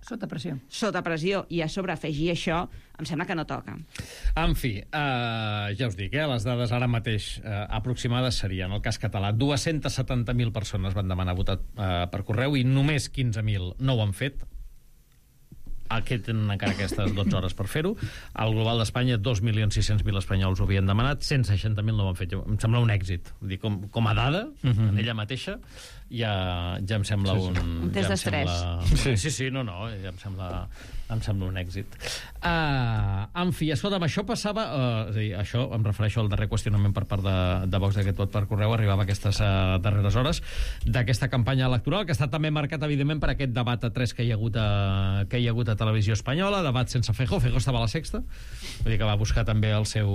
S14: sota pressió.
S16: Sota pressió, i a sobre afegir això, em sembla que no toca.
S2: En fi, uh, ja us dic, eh, les dades ara mateix uh, aproximades serien, el cas català, dues-centes setanta mil persones van demanar votar uh, per correu i només quinze mil no ho han fet. Aquí tenen encara aquestes dotze hores per fer-ho. Al global d'Espanya, dos milions sis-cents mil espanyols ho havien demanat, cent seixanta mil no ho han fet. Em sembla un èxit. Vull dir, com, com a dada, uh-huh. en ella mateixa, ja, ja em sembla
S16: sí, sí.
S2: un...
S16: Un test
S2: ja
S16: d'estrès.
S2: Sembla... Sí. sí, sí, no, no, ja em sembla, em sembla un èxit. Uh, en fi, escolta'm, això passava... Uh, és a dir, això em refereixo al darrer qüestionament per part de, de Vox d'aquest vot per correu, arribava a aquestes uh, darreres hores d'aquesta campanya electoral, que està també marcat, evidentment, per aquest debat a tres que hi ha hagut a, que hi ha hagut a Televisió Espanyola, debat sense Feijóo. Feijóo estava a la sexta, vull dir que va buscar també el seu,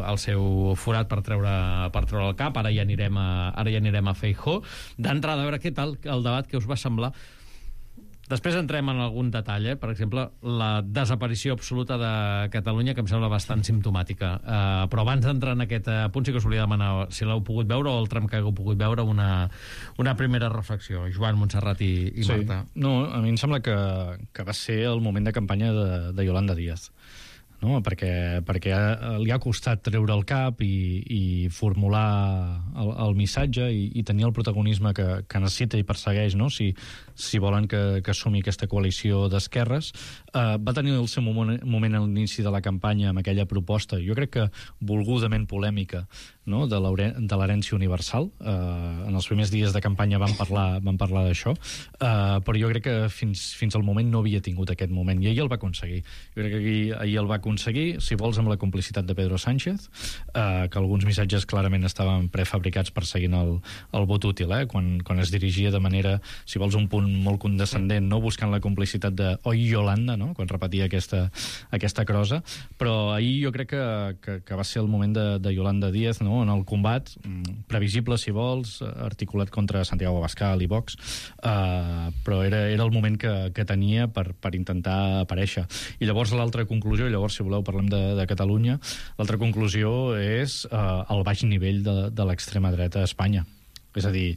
S2: el seu forat per treure, per treure el cap. Ara ja anirem a, ara ja anirem a Feijóo. D'entrada, a veure què tal el debat, que us va semblar. Després entrem en algun detall, eh? Per exemple, la desaparició absoluta de Catalunya, que em sembla bastant simptomàtica. Uh, però abans d'entrar en aquest uh, punt, sí que us volia demanar si l'heu pogut veure o el tram que hagueu pogut veure, una, una primera reflexió. Joan, Montserrat i, i
S15: sí.
S2: Marta.
S15: No, a mi em sembla que, que va ser el moment de campanya de, de Yolanda Díaz. No? Perquè, perquè li ha costat treure el cap i, i formular el, el missatge i, i tenir el protagonisme que, que necessita i persegueix, no? si, si volen que, que assumi aquesta coalició d'esquerres. Uh, va tenir el seu moment, moment a l'inici de la campanya amb aquella proposta, jo crec que volgudament polèmica, no? de l'herència universal. Uh, en els primers dies de campanya van parlar, van parlar d'això, uh, però jo crec que fins, fins al moment no havia tingut aquest moment, i ahir el va aconseguir. Jo crec que ahir, ahir el va aconseguir, si vols, amb la complicitat de Pedro Sánchez, eh, que alguns missatges clarament estaven prefabricats perseguint el, el vot útil, eh, quan, quan es dirigia de manera, si vols, un punt molt condescendent, no buscant la complicitat de oi Yolanda, no? Quan repetia aquesta, aquesta crosa, però ahir jo crec que, que, que va ser el moment de, de Yolanda Díaz, no? En el combat, previsible, si vols, articulat contra Santiago Abascal i Vox, eh, però era, era el moment que, que tenia per, per intentar aparèixer. I llavors l'altra conclusió, i llavors si voleu parlem de, de Catalunya, l'altra conclusió és eh, el baix nivell de, de l'extrema dreta a Espanya. És a dir,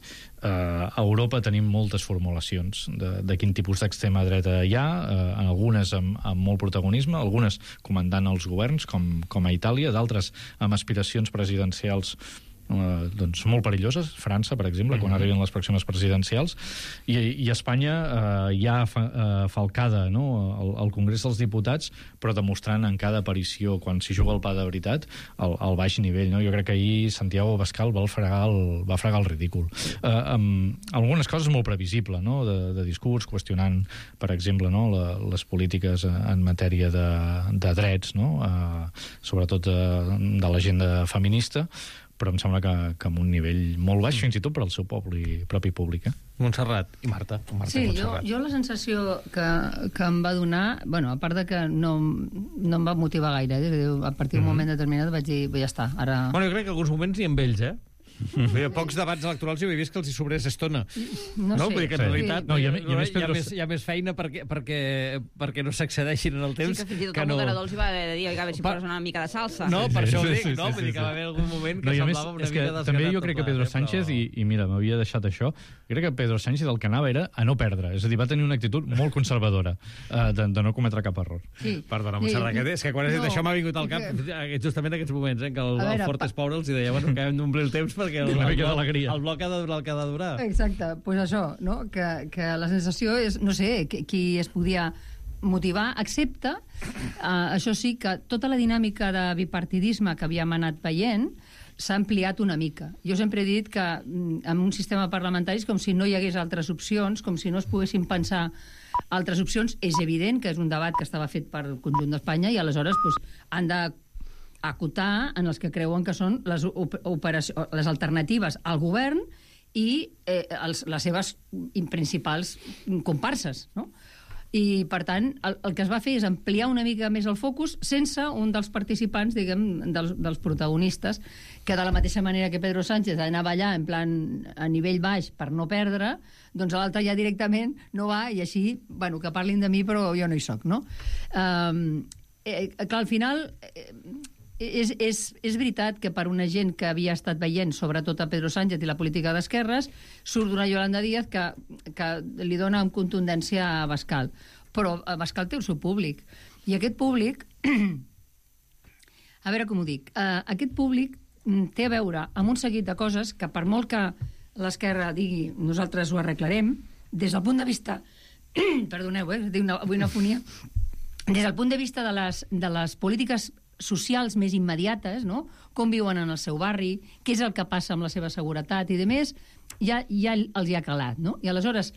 S15: eh, a Europa tenim moltes formulacions de, de quin tipus d'extrema dreta hi ha, eh, algunes amb, amb molt protagonisme, algunes comandant els governs, com, com a Itàlia, d'altres amb aspiracions presidencials Uh, doncs molt perilloses, França, per exemple, mm-hmm. quan arriben les pròximes presidencials, i, i Espanya uh, ja fa, uh, falcada, no? al, al Congrés dels Diputats, però demostrant en cada aparició, quan s'hi juga el pa de veritat, el, el baix nivell. No? Jo crec que ahir Santiago Abascal va fregar el, va fregar el ridícul. Uh, amb algunes coses molt previsible, no? de, de discurs, qüestionant, per exemple, no? La, les polítiques en matèria de, de drets, no? uh, sobretot de, de l'agenda feminista, però em sembla que, que amb un nivell molt baix, fins i tot per al seu poble i propi públic. Eh?
S2: Montserrat i Marta. Marta
S14: sí,
S2: i
S14: jo, jo la sensació que, que em va donar, bueno, a part de que no, no em va motivar gaire, eh? A partir d'un mm-hmm. moment determinat vaig dir, ja està, ara...
S2: Bueno, jo crec que alguns moments ni amb ells, eh? Hi ha pocs debats electorals i ho he vist que els hi sobrés estona.
S14: No sé.
S2: Vull dir que en
S14: Sí.
S2: realitat
S15: No, hi ha-
S2: no,
S15: hi ha més
S2: hi, ha
S15: Pedro-
S2: més, hi ha més feina perquè, perquè, perquè no s'accedeixin en el temps
S16: Sí, que fins i tot
S2: que
S16: el
S2: no...
S16: moderador els hi va haver de dir, oiga, a veure si
S2: Pa-
S16: poses una mica de salsa.
S2: No, per això ho dic,
S15: Sí, sí,
S2: no?
S15: sí,
S2: Vull dir
S15: sí,
S2: que va
S15: sí.
S2: haver algun moment que
S15: No, i a més,
S2: semblava una
S15: és que
S2: mica
S15: també
S2: desgastat
S15: jo crec que
S2: tot
S15: Pedro
S2: plegat, eh,
S15: Sánchez,
S2: però-
S15: i, i mira, m'havia deixat això, crec que Pedro Sánchez el que anava era a no perdre, és a dir, va tenir una actitud molt conservadora uh, de, de no cometre cap error.
S14: Sí.
S2: Perdona,
S14: Sí.
S2: Montserrat, que és que quan has dit
S14: No,
S2: això m'ha vingut al cap
S14: que-
S2: justament en aquests moments, eh, que el,
S14: A veure,
S2: el Fort
S14: pa-
S2: és pobre els hi deia, bueno, que hem d'omplir el temps perquè el,
S15: Una
S2: el,
S15: mica
S2: bloc,
S15: d'alegria.
S2: el bloc ha de durar el que ha de durar.
S14: Exacte, doncs pues això, no? que, que la sensació és, no sé, qui, qui es podia motivar, excepte, uh, això sí, que tota la dinàmica de bipartidisme que havíem anat veient s'ha ampliat una mica. Jo sempre he dit que mm, en un sistema parlamentari és com si no hi hagués altres opcions, com si no es poguessin pensar altres opcions. És evident que és un debat que estava fet per el conjunt d'Espanya i aleshores pues, han de acotar en els que creuen que són les, op operació, les alternatives al govern i eh, els, les seves principals comparses, no? I, per tant, el, el que es va fer és ampliar una mica més el focus sense un dels participants, diguem, dels, dels protagonistes, que de la mateixa manera que Pedro Sánchez anava allà en plan a nivell baix per no perdre, doncs l'altre ja directament no va i així, bueno, que parlin de mi però jo no hi soc, no? Um, eh, clar, al final... Eh, És, és, és veritat que per una gent que havia estat veient sobretot a Pedro Sánchez i la política d'esquerres surt una Yolanda Díaz que, que li dona amb contundència a Abascal, però Abascal té el seu públic i aquest públic a veure com ho dic uh, aquest públic té a veure amb un seguit de coses que per molt que l'esquerra digui nosaltres ho arreglarem des del punt de vista perdoneu, eh, una, avui una fonia des del punt de vista de les, de les polítiques socials més immediates, no? Com viuen en el seu barri, què és el que passa amb la seva seguretat i de més, ja, ja els hi ha calat, no? I aleshores,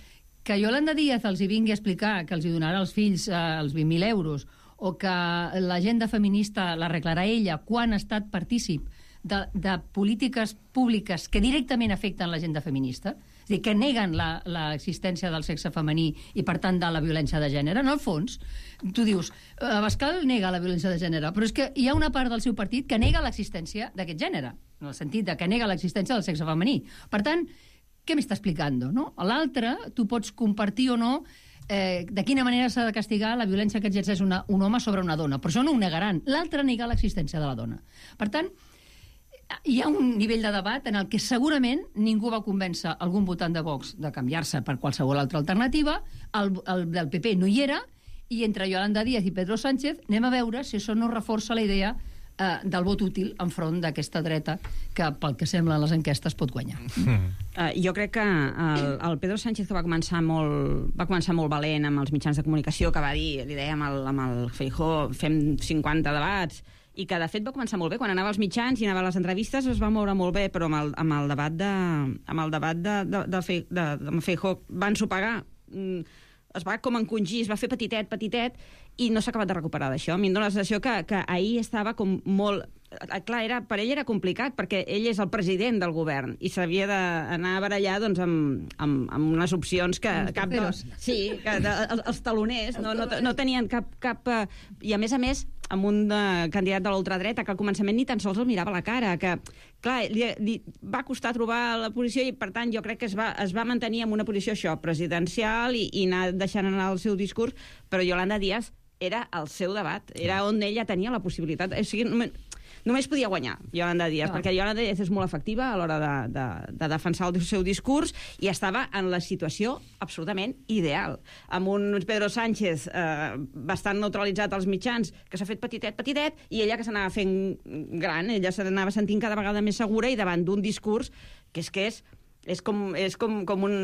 S14: que Yolanda Díaz els hi vingui a explicar que els hi donarà als fills eh, els vint mil euros o que l'agenda feminista l'arreglarà ella quan ha estat partícip de, de polítiques públiques que directament afecten l'agenda feminista, és a dir, que neguen l'existència del sexe femení i, per tant, de la violència de gènere. En el fons, tu dius, Abascal nega la violència de gènere, però és que hi ha una part del seu partit que nega l'existència d'aquest gènere, en el sentit de que nega l'existència del sexe femení. Per tant, què m'està explicant? No? A l'altre, tu pots compartir o no eh, de quina manera s'ha de castigar la violència que exerceix una, un home sobre una dona, però això no ho negaran. L'altre nega l'existència de la dona. Per tant, hi ha un nivell de debat en el que segurament ningú va convèncer algun votant de Vox de canviar-se per qualsevol altra alternativa, el, el del P P no hi era, i entre Yolanda Díaz i Pedro Sánchez anem a veure si això no reforça la idea eh, del vot útil enfront d'aquesta dreta que, pel que sembla les enquestes, pot guanyar.
S16: Mm. Uh, jo crec que el, el Pedro Sánchez, que va començar molt, va començar molt valent amb els mitjans de comunicació, que va dir, li deia amb el, amb el Feijóo, fem cinquanta debats, i que de fet va començar molt bé, quan anava als mitjans i anava a les entrevistes es va moure molt bé, però amb el, amb el debat de, amb el debat de, de, de, de, de, de Feijóo van sopegar, es va com encongir, es va fer petitet, petitet, i no s'ha acabat de recuperar d'això. A mi em dóna la sensació que, que ahir estava com molt... Clar, era, per ell era complicat, perquè ell és el president del govern i s'havia d'anar a barallar doncs, amb, amb, amb unes opcions que... Cap de, sí, que de, els taloners no, no, no tenien cap... cap uh, I a més a més, amb un uh, candidat de l'ultradreta que al començament ni tan sols el mirava a la cara, que, clar, li, li va costar trobar la posició i, per tant, jo crec que es va, es va mantenir en una posició això, presidencial i, i anar deixant anar el seu discurs, però Yolanda Díaz era el seu debat, era on ella tenia la possibilitat. O sigui, només podia guanyar Yolanda Díaz, ah. perquè Yolanda Díaz és molt efectiva a l'hora de, de, de defensar el seu discurs i estava en la situació absolutament ideal. Amb un Pedro Sánchez eh, bastant neutralitzat als mitjans, que s'ha fet petitet, petitet, i ella que s'anava fent gran, ella s'anava sentint cada vegada més segura i davant d'un discurs que és que és és com, és com, com un...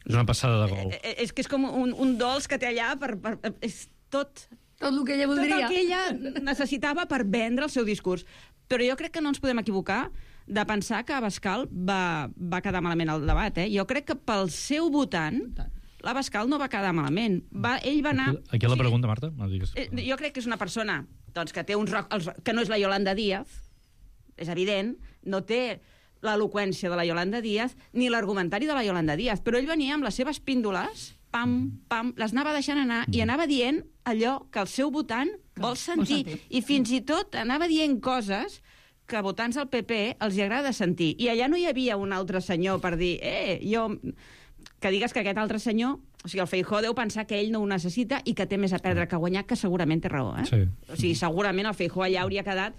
S15: És una passada de gol.
S16: És que és com un, un dolç que té allà per... per és tot...
S14: Tot el que ella voldria.
S16: Tot el que ella necessitava per vendre el seu discurs. Però jo crec que no ens podem equivocar de pensar que Abascal va, va quedar malament al debat. Eh? Jo crec que pel seu votant, l'Abascal no va quedar malament. Va, ell va anar...
S15: Aquí la pregunta, Marta? No digues.
S16: Jo crec que és una persona doncs, que té uns roc, els, que no és la Yolanda Díaz, és evident, no té l'eloqüència de la Yolanda Díaz ni l'argumentari de la Yolanda Díaz, però ell venia amb les seves píndoles, pam, pam, les anava deixant anar i anava dient allò que el seu votant vol sentir. I fins i tot anava dient coses que a votants del P P els hi agrada sentir. I allà no hi havia un altre senyor per dir, eh, jo... que digues que aquest altre senyor, o sigui, el Feijóo deu pensar que ell no ho necessita i que té més a perdre que a guanyar, que segurament té raó, eh?
S2: Sí.
S16: O sigui, segurament el Feijóo allà hauria quedat...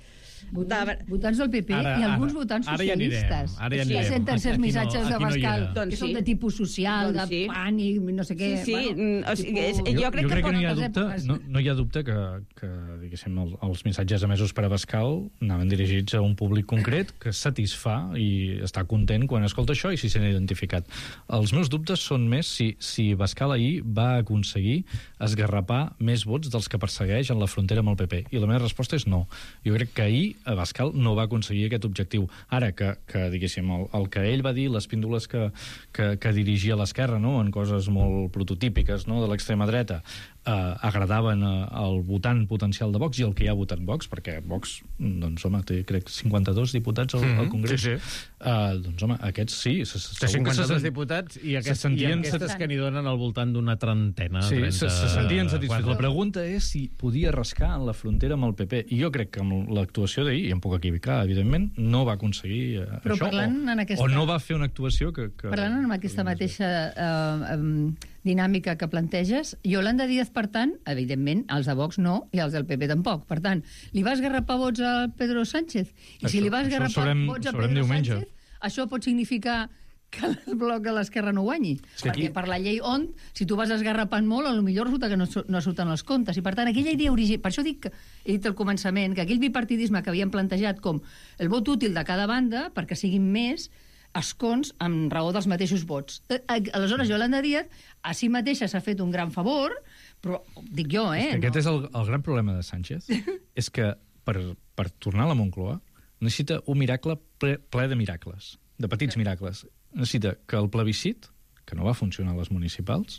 S14: Votants, votants del P P
S2: Ara,
S14: i alguns
S2: ara,
S14: votants
S2: ara ja anirem,
S14: socialistes.
S2: ara ja
S14: que
S2: anirem.
S14: senten certs
S2: Aquí no-
S14: missatges de
S2: aquí no hi
S14: Bascal,
S2: era.
S14: que
S16: Doncs
S14: són
S16: sí.
S14: de tipus social,
S16: Doncs
S14: de
S16: sí.
S14: pànic, no sé què.
S16: Sí, sí,
S14: bueno,
S16: o sigui, és-
S14: tipus-
S16: jo crec
S15: jo
S16: que
S15: crec que
S16: pot-
S15: no hi ha
S14: les
S15: dubte,
S14: èpoques.
S15: no, no hi ha dubte que, que diguéssim, el, els missatges emesos per a Bascal anaven dirigits a un públic concret que satisfà i està content quan escolta això i s'hi sent identificat. Els meus dubtes són més si, si Bascal ahir va aconseguir esgarrapar més vots dels que persegueix en la frontera amb el P P. I la meva resposta és no. Jo crec que ahir a Bascal no va aconseguir aquest objectiu. Ara, que, que diguéssim, el, el que ell va dir, les píndoles que, que, que dirigia a l'esquerra, no?, en coses molt prototípiques, no?, de l'extrema dreta, eh, agradaven eh, al votant potencial de Vox i el que hi ha votat Vox, perquè Vox, doncs, home, té, crec, cinquanta-dos diputats al, al Congrés.
S2: Sí, sí.
S15: Uh, doncs, home, aquests sí. Se,
S2: Té cinquanta-dos diputats i, aquest,
S15: se sentien
S2: i aquestes que n'hi donen al voltant d'una trentena.
S15: Sí,
S2: trenta...
S15: se, se sentien satisfets.
S2: Quatre.
S15: La pregunta és si podia rascar en la frontera amb el P P. I jo crec que amb l'actuació d'ahir, i em puc equivocar, evidentment, no va aconseguir eh,
S14: Però
S15: això.
S14: parlant
S15: O,
S14: en aquesta-
S15: o no va fer una actuació que... que...
S14: Parlant amb aquesta mateixa eh, um, dinàmica que planteges, Yolanda Díaz, per tant, evidentment, els de Vox no, i els del P P tampoc. Per tant, li vas esgarrapar vots a Pedro Sánchez? I
S15: Això-
S14: si li vas
S15: això ho
S14: esgarrapar
S15: sabrem-
S14: vots a
S15: sabrem
S14: Pedro
S15: diumenge.
S14: Sánchez, això pot significar que el bloc de l'esquerra no guanyi.
S15: És que
S14: Perquè
S15: aquí-
S14: per la llei on, si tu vas esgarrapant molt, a lo millor resulta que no, su- no surten els comptes. I per tant, aquella idea original... Per això dic, que, he dit al començament, que aquell bipartidisme que havien plantejat com el vot útil de cada banda, perquè siguin més escons amb raó dels mateixos vots. Eh, Aleshores, Yolanda Díaz a si mateixa s'ha fet un gran favor, però dic jo, eh?
S15: És que aquest és el, el gran problema de Sánchez, és que per, per tornar a la Moncloa necessita un miracle ple, ple de miracles, de petits miracles. Necessita que el plebiscit, que no va funcionar a les municipals,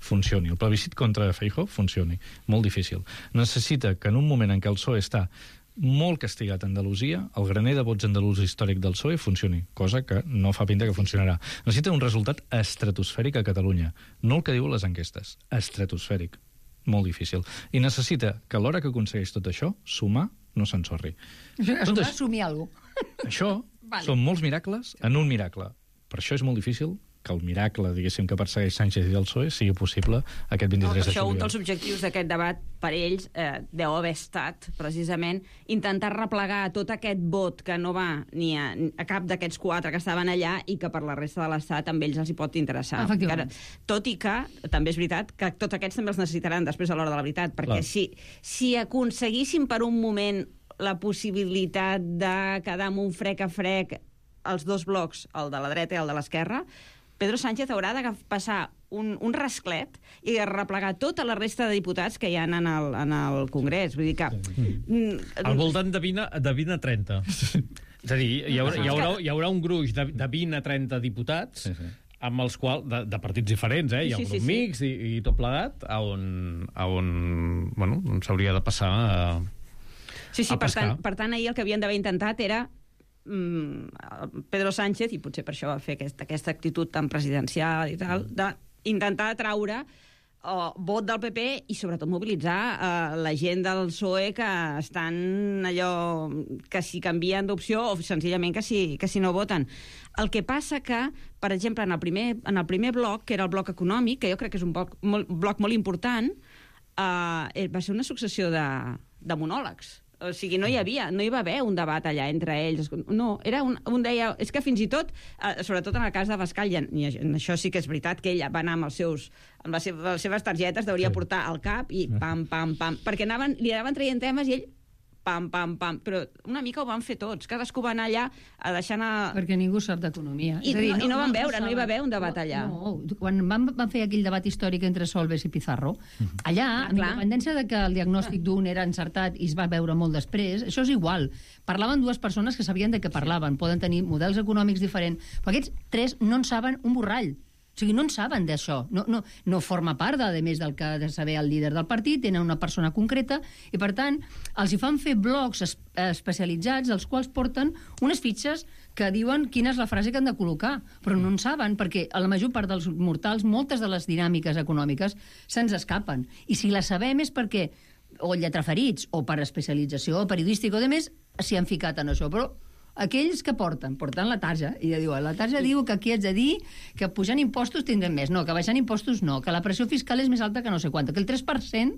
S15: funcioni. El plebiscit contra Feijóo funcioni. Molt difícil. Necessita que en un moment en què el P S O E està molt castigat a Andalusia, el graner de vots andalús històric del P S O E funcioni, cosa que no fa pinta que funcionarà. Necessita un resultat estratosfèric a Catalunya. No el que diuen les enquestes, estratosfèric. Molt difícil. I necessita que a l'hora que aconsegueix tot això, sumar no s'ensorri.
S14: Això
S15: Tot
S14: va
S15: això-
S14: assumir alguna cosa.
S15: Això
S14: Vale.
S15: són molts miracles en un miracle. Per això és molt difícil que el miracle, diguéssim, que persegueix Sánchez i el P S O E sigui possible aquest
S16: No,
S15: vint-i-tres
S16: per
S15: de
S16: això un
S15: juliol.
S16: dels objectius d'aquest debat per ells eh, deu haver estat, precisament, intentar replegar tot aquest vot que no va ni a, a cap d'aquests quatre que estaven allà i que per la resta de l'Estat amb ells els hi pot interessar.
S14: Efectivament.
S16: Encara, tot i que, també és veritat, que tots aquests també els necessitaran després a l'hora de la veritat, perquè
S15: Clar.
S16: si, si aconseguissin per un moment la possibilitat de quedar amb un frec a frec els dos blocs, el de la dreta i el de l'esquerra, Pedro Sánchez haurà de passar un, un rasclet i replegar tota la resta de diputats que hi ha en el, en el Congrés. Vull dir que... Mm,
S2: Al voltant de vint, a- de vint a trenta. És a dir, hi haurà, hi haurà, hi haurà un gruix de, de vint a trenta diputats,
S15: Sí, sí.
S2: amb els quals, de, de partits diferents, eh? Hi ha
S16: Sí,
S2: un
S16: sí,
S2: grup
S16: sí.
S2: mix i, i tot plegat, a on, a on, bueno, on s'hauria de passar a,
S16: Sí, sí,
S2: a
S16: per
S2: pescar.
S16: tant, per tant, ahir el que havien d'haver intentat era mm, Pedro Sánchez, i potser per això va fer aquesta, aquesta actitud tan presidencial i tal, d'intentar atraure uh, vot del P P i sobretot mobilitzar uh, la gent del P S O E que estan allò que si canvien d'opció o senzillament que si, que si no voten. El que passa que, per exemple, en el primer, en el primer bloc, que era el bloc econòmic, que jo crec que és un bloc molt, bloc molt important, uh, va ser una successió de, de monòlegs. O sigui, no hi havia, no hi va haver un debat allà entre ells. No, era un, un deia... És que fins i tot, eh, sobretot en el cas de Bascal, i en, i en això sí que és veritat que ell va anar amb els seus amb les seves, les seves targetes, deuria sí. portar al cap i pam, pam, pam, perquè anaven, li anaven traient temes i ell pam, pam, pam, però una mica ho van fer tots, cadascú va anar allà a deixar anar...
S14: Perquè ningú sap d'economia.
S16: I,
S14: És a dir,
S16: no, i no van veure, no hi va
S14: saben.
S16: haver un debat allà.
S14: No, quan van, van fer aquell debat històric entre Solbes i Pizarro, allà,
S16: Ah,
S14: amb
S16: clar.
S14: independència de que el diagnòstic d'un era encertat i es va veure molt després, això és igual. Parlaven dues persones que sabien de què parlaven, poden tenir models econòmics diferents, però aquests tres no en saben un borrall. O sigui, no en saben d'això. No, no, no forma part, de, a més del que ha de saber el líder del partit, tenen una persona concreta, i per tant, els hi fan fer blocs es, especialitzats, els quals porten unes fitxes que diuen quina és la frase que han de col·locar, però no en saben, perquè a la major part dels mortals, moltes de les dinàmiques econòmiques se'ns escapen. I si les sabem és perquè o lletraferits, o per especialització periodística o de més, s'hi han ficat en això. Però aquells que porten, portant la tarja, i ja diu, la tarja diu que aquí haig de dir que pujant impostos tindrem més, no, que baixant impostos no, que la pressió fiscal és més alta que no sé quant, que el tres per cent,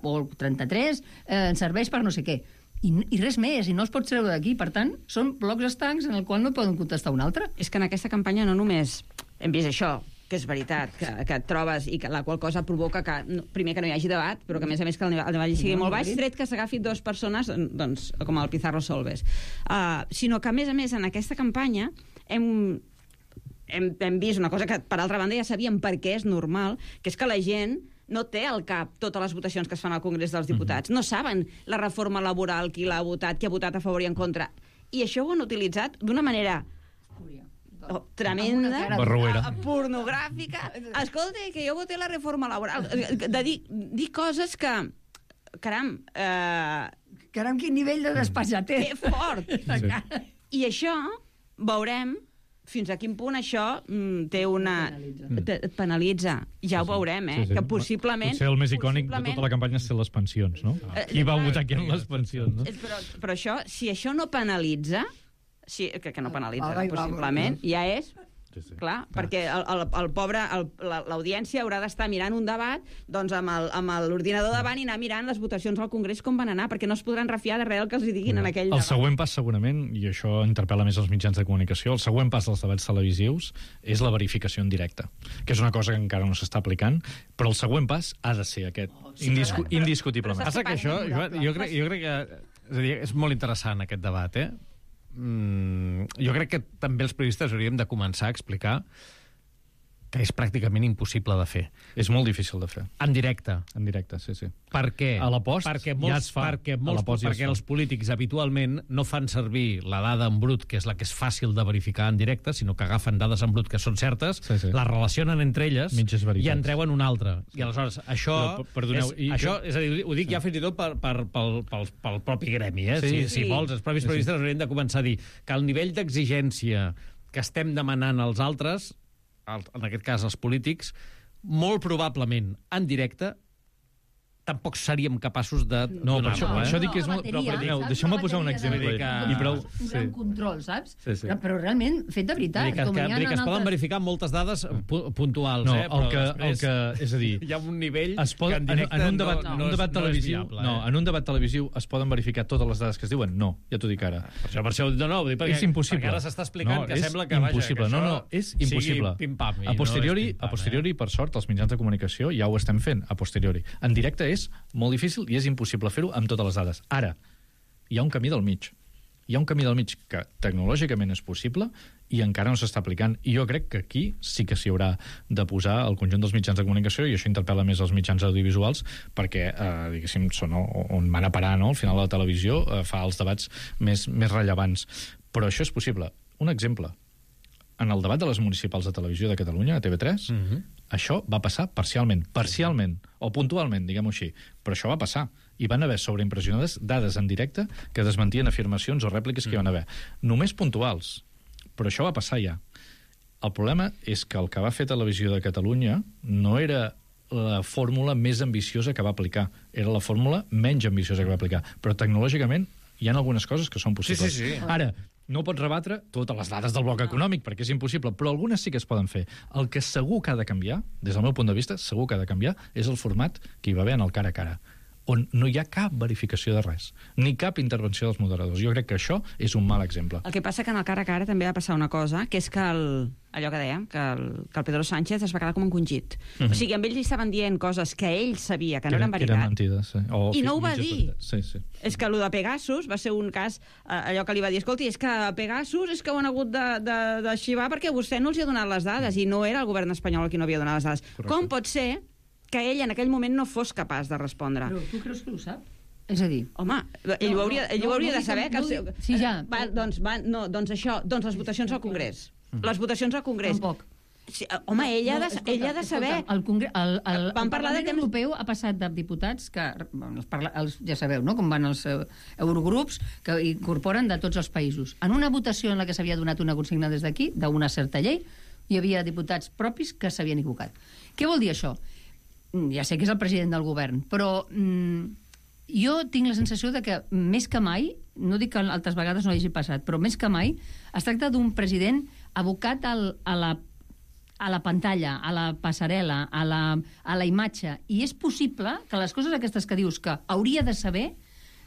S14: o el trenta-tres, eh, ens serveix per no sé què. I, I res més, i no es pot treure d'aquí. Per tant, són blocs estancs en el qual no poden contestar un altre.
S16: És que en aquesta campanya no només hem vist això, que és veritat, que, que et trobes i que la qual cosa provoca que, no, primer, que no hi hagi debat, però que, a més a més, que el nivell, el nivell sigui molt baix, tret que s'agafi dues persones, doncs, com el Pizarro Solbes. Uh, sinó que, a més a més, en aquesta campanya hem, hem, hem vist una cosa que, per altra banda, ja sabíem per què és normal, que és que la gent no té al cap totes les votacions que es fan al Congrés dels Diputats. Mm-hmm. No saben la reforma laboral, qui l'ha votat, qui ha votat a favor i en contra. I això ho han utilitzat d'una manera... Oh, tremenda,
S15: barruera,
S16: pornogràfica. Escolta, que jo voté la reforma laboral. De dir, dir coses que... Caram... Eh...
S14: Caram, quin nivell de despatxatè.
S16: Que fort. Sí. I això, veurem fins a quin punt això mm, té una... Penalitza. Et penalitza. Ja ho veurem, eh? Sí, sí. Que possiblement...
S15: Potser el més icònic de tota la campanya és ser les pensions, no? Ah. Qui va votar aquí en les pensions, no?
S16: Però, però això, si això no penalitza... Sí, que, que no penalitza, ah, possiblement, ja és... Sí, sí. Clar, ah. perquè el, el, el pobre, l'audiència haurà d'estar mirant un debat doncs amb l'ordinador davant i anar mirant les votacions al Congrés com van anar, perquè no es podran refiar de res el que els diguin no. en aquell
S15: el
S16: debat.
S15: El següent pas, segurament, i això interpel·la més els mitjans de comunicació, el següent pas dels debats televisius és la verificació en directe, que és una cosa que encara no s'està aplicant, però el següent pas ha de ser aquest, oh, sí, indiscu clar. indiscutiblement.
S2: Passa que això, jo, jo, crec, jo crec que és, a dir, és molt interessant aquest debat, eh? Mm, jo crec que també els periodistes hauríem de començar a explicar que és pràcticament impossible de fer.
S15: És molt difícil de fer.
S2: En directe.
S15: En directe, sí, sí.
S2: Per què?
S15: A la post
S2: perquè molts,
S15: ja es fa.
S2: Perquè, molts, ja perquè els polítics habitualment no fan servir la dada en brut, que és la que és fàcil de verificar en directe, sinó que agafen dades en brut que són certes, sí, sí. les relacionen entre elles i en treuen una altra. I aleshores, això, no, perdoneu, és, i això que... és a dir, ho dic sí. ja fins i tot per, per, pel, pel, pel propi gremi, eh? Sí, si, sí. si vols, els propis sí, periodistes sí. haurien de començar a dir que el nivell d'exigència que estem demanant als altres, en aquest cas els polítics, molt probablement en directe tampoc seríem capaços de...
S15: No, per això, no, això dic que és molt... Però, però deixeu-me posar un exemple.
S14: Que... I prou... Un gran sí. control, saps? Sí, sí. Però realment, fet de veritat.
S2: Que, que, que, que es poden verificar moltes dades pu puntuals,
S15: no,
S2: eh?
S15: Però el que, després... El que, és a dir...
S2: Hi ha un nivell
S15: es pot, que en directe en, en un debat, no, no, un debat no, televisiu, no, viable, no, eh? En un debat televisiu es poden verificar totes les dades que es diuen? No, ja t'ho dic ara.
S2: Per això, per això, no, no, perquè,
S15: és impossible.
S2: Perquè ara s'està explicant
S15: no,
S2: que sembla que, vaja, que
S15: no, no, és impossible.
S2: Pim-pam.
S15: A posteriori, a posteriori, per sort, els mitjans de comunicació ja ho estem fent, a posteriori. En directe és molt difícil i és impossible fer-ho amb totes les dades. Ara, hi ha un camí del mig. Hi ha un camí del mig que tecnològicament és possible i encara no s'està aplicant. I jo crec que aquí sí que s'hi haurà de posar el conjunt dels mitjans de comunicació, i això interpel·la més els mitjans audiovisuals, perquè, eh, diguéssim, són on van a parar, no? Al final la televisió eh, fa els debats més, més rellevants. Però això és possible. Un exemple. En el debat de les municipals de televisió de Catalunya, a T V tres, mm-hmm. això va passar parcialment, parcialment, o puntualment, diguem-ho així, però això va passar. I van haver sobreimpressionades dades en directe que desmentien afirmacions o rèpliques que hi van haver. Només puntuals, però això va passar ja. El problema és que el que va fer Televisió de Catalunya no era la fórmula més ambiciosa que va aplicar, era la fórmula menys ambiciosa que va aplicar, però tecnològicament hi ha algunes coses que són possibles.
S2: Sí, sí, sí.
S15: Ara, no pots rebatre totes les dades del bloc econòmic, perquè és impossible, però algunes sí que es poden fer. El que segur que ha de canviar, des del meu punt de vista, segur que ha de canviar, és el format que hi va haver en el cara a cara, on no hi ha cap verificació de res, ni cap intervenció dels moderadors. Jo crec que això és un mal exemple.
S16: El que passa que en el cara a cara també va passar una cosa, que és que el, allò que dèiem, que el, que el Pedro Sánchez es va quedar com encongit. Mm-hmm. O sigui, amb ells li estaven dient coses que ell sabia que no eren veritat.
S15: Que eren mentides, sí. O
S16: I no ho va dir.
S15: Sí, sí.
S16: És que allò de Pegasus va ser un cas, eh, allò que li va dir, escolti, és que Pegasus és que ho han hagut de, de, de xivar perquè vostè no els hi ha donat les dades, i no era el govern espanyol qui no havia donat les dades. Correcte. Com pot ser que ell en aquell moment no fos capaç de respondre?
S14: Però tu creus que ho sap? És a dir...
S16: Home, ell ho hauria, ell ho hauria
S14: no, no,
S16: de saber.
S14: No,
S16: que
S14: no, no, sí, ja.
S16: Va, doncs, va, no, doncs això, doncs les votacions al Congrés. Les votacions al Congrés.
S14: Tampoc.
S16: Sí, home, ell ha de, no, escolta, ell ha de saber...
S14: Escolta, el, Congre... el, el,
S16: Vam
S14: el
S16: parlar
S14: Parlament
S16: de temps...
S14: Europeu ha passat de diputats que, bueno, els parla, els, ja sabeu, no?, com van els uh, eurogrups que incorporen de tots els països. En una votació en la que s'havia donat una consigna des d'aquí, d'una certa llei, hi havia diputats propis que s'havien equivocat. Què vol dir això? Ja sé que és el president del govern, però mm, jo tinc la sensació de que més que mai, no dic que altres vegades no hagi passat, però més que mai es tracta d'un president abocat al, a la a la pantalla, a la passarel·la, a la, a la imatge, i és possible que les coses aquestes que dius que hauria de saber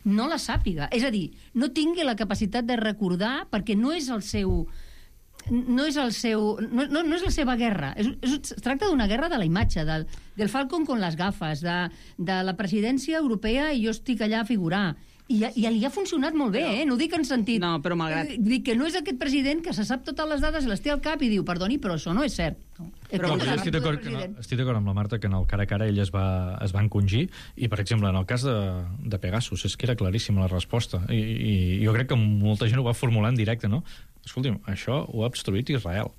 S14: no la sàpiga. És a dir, no tingui la capacitat de recordar perquè no és el seu... no és el seu... no, no, no és la seva guerra. És, és, es tracta d'una guerra de la imatge, del, del Falcon con les gafes, de, de la presidència europea i jo estic allà a figurar. I, I li ha funcionat molt bé, eh? No ho dic en sentit...
S16: No, però malgrat...
S14: Dic que no és aquest president que se sap totes les dades i les té al cap i diu, perdoni, però això no és cert. No.
S15: Però, però jo estic d'acord no, estic d'acord amb la Marta que en el cara a cara ell es va, es va encongir i, per exemple, en el cas de, de Pegasus és que era claríssima la resposta i, i jo crec que molta gent ho va formular en directe, no? Escolti'm, això ho ha obstruït Israel.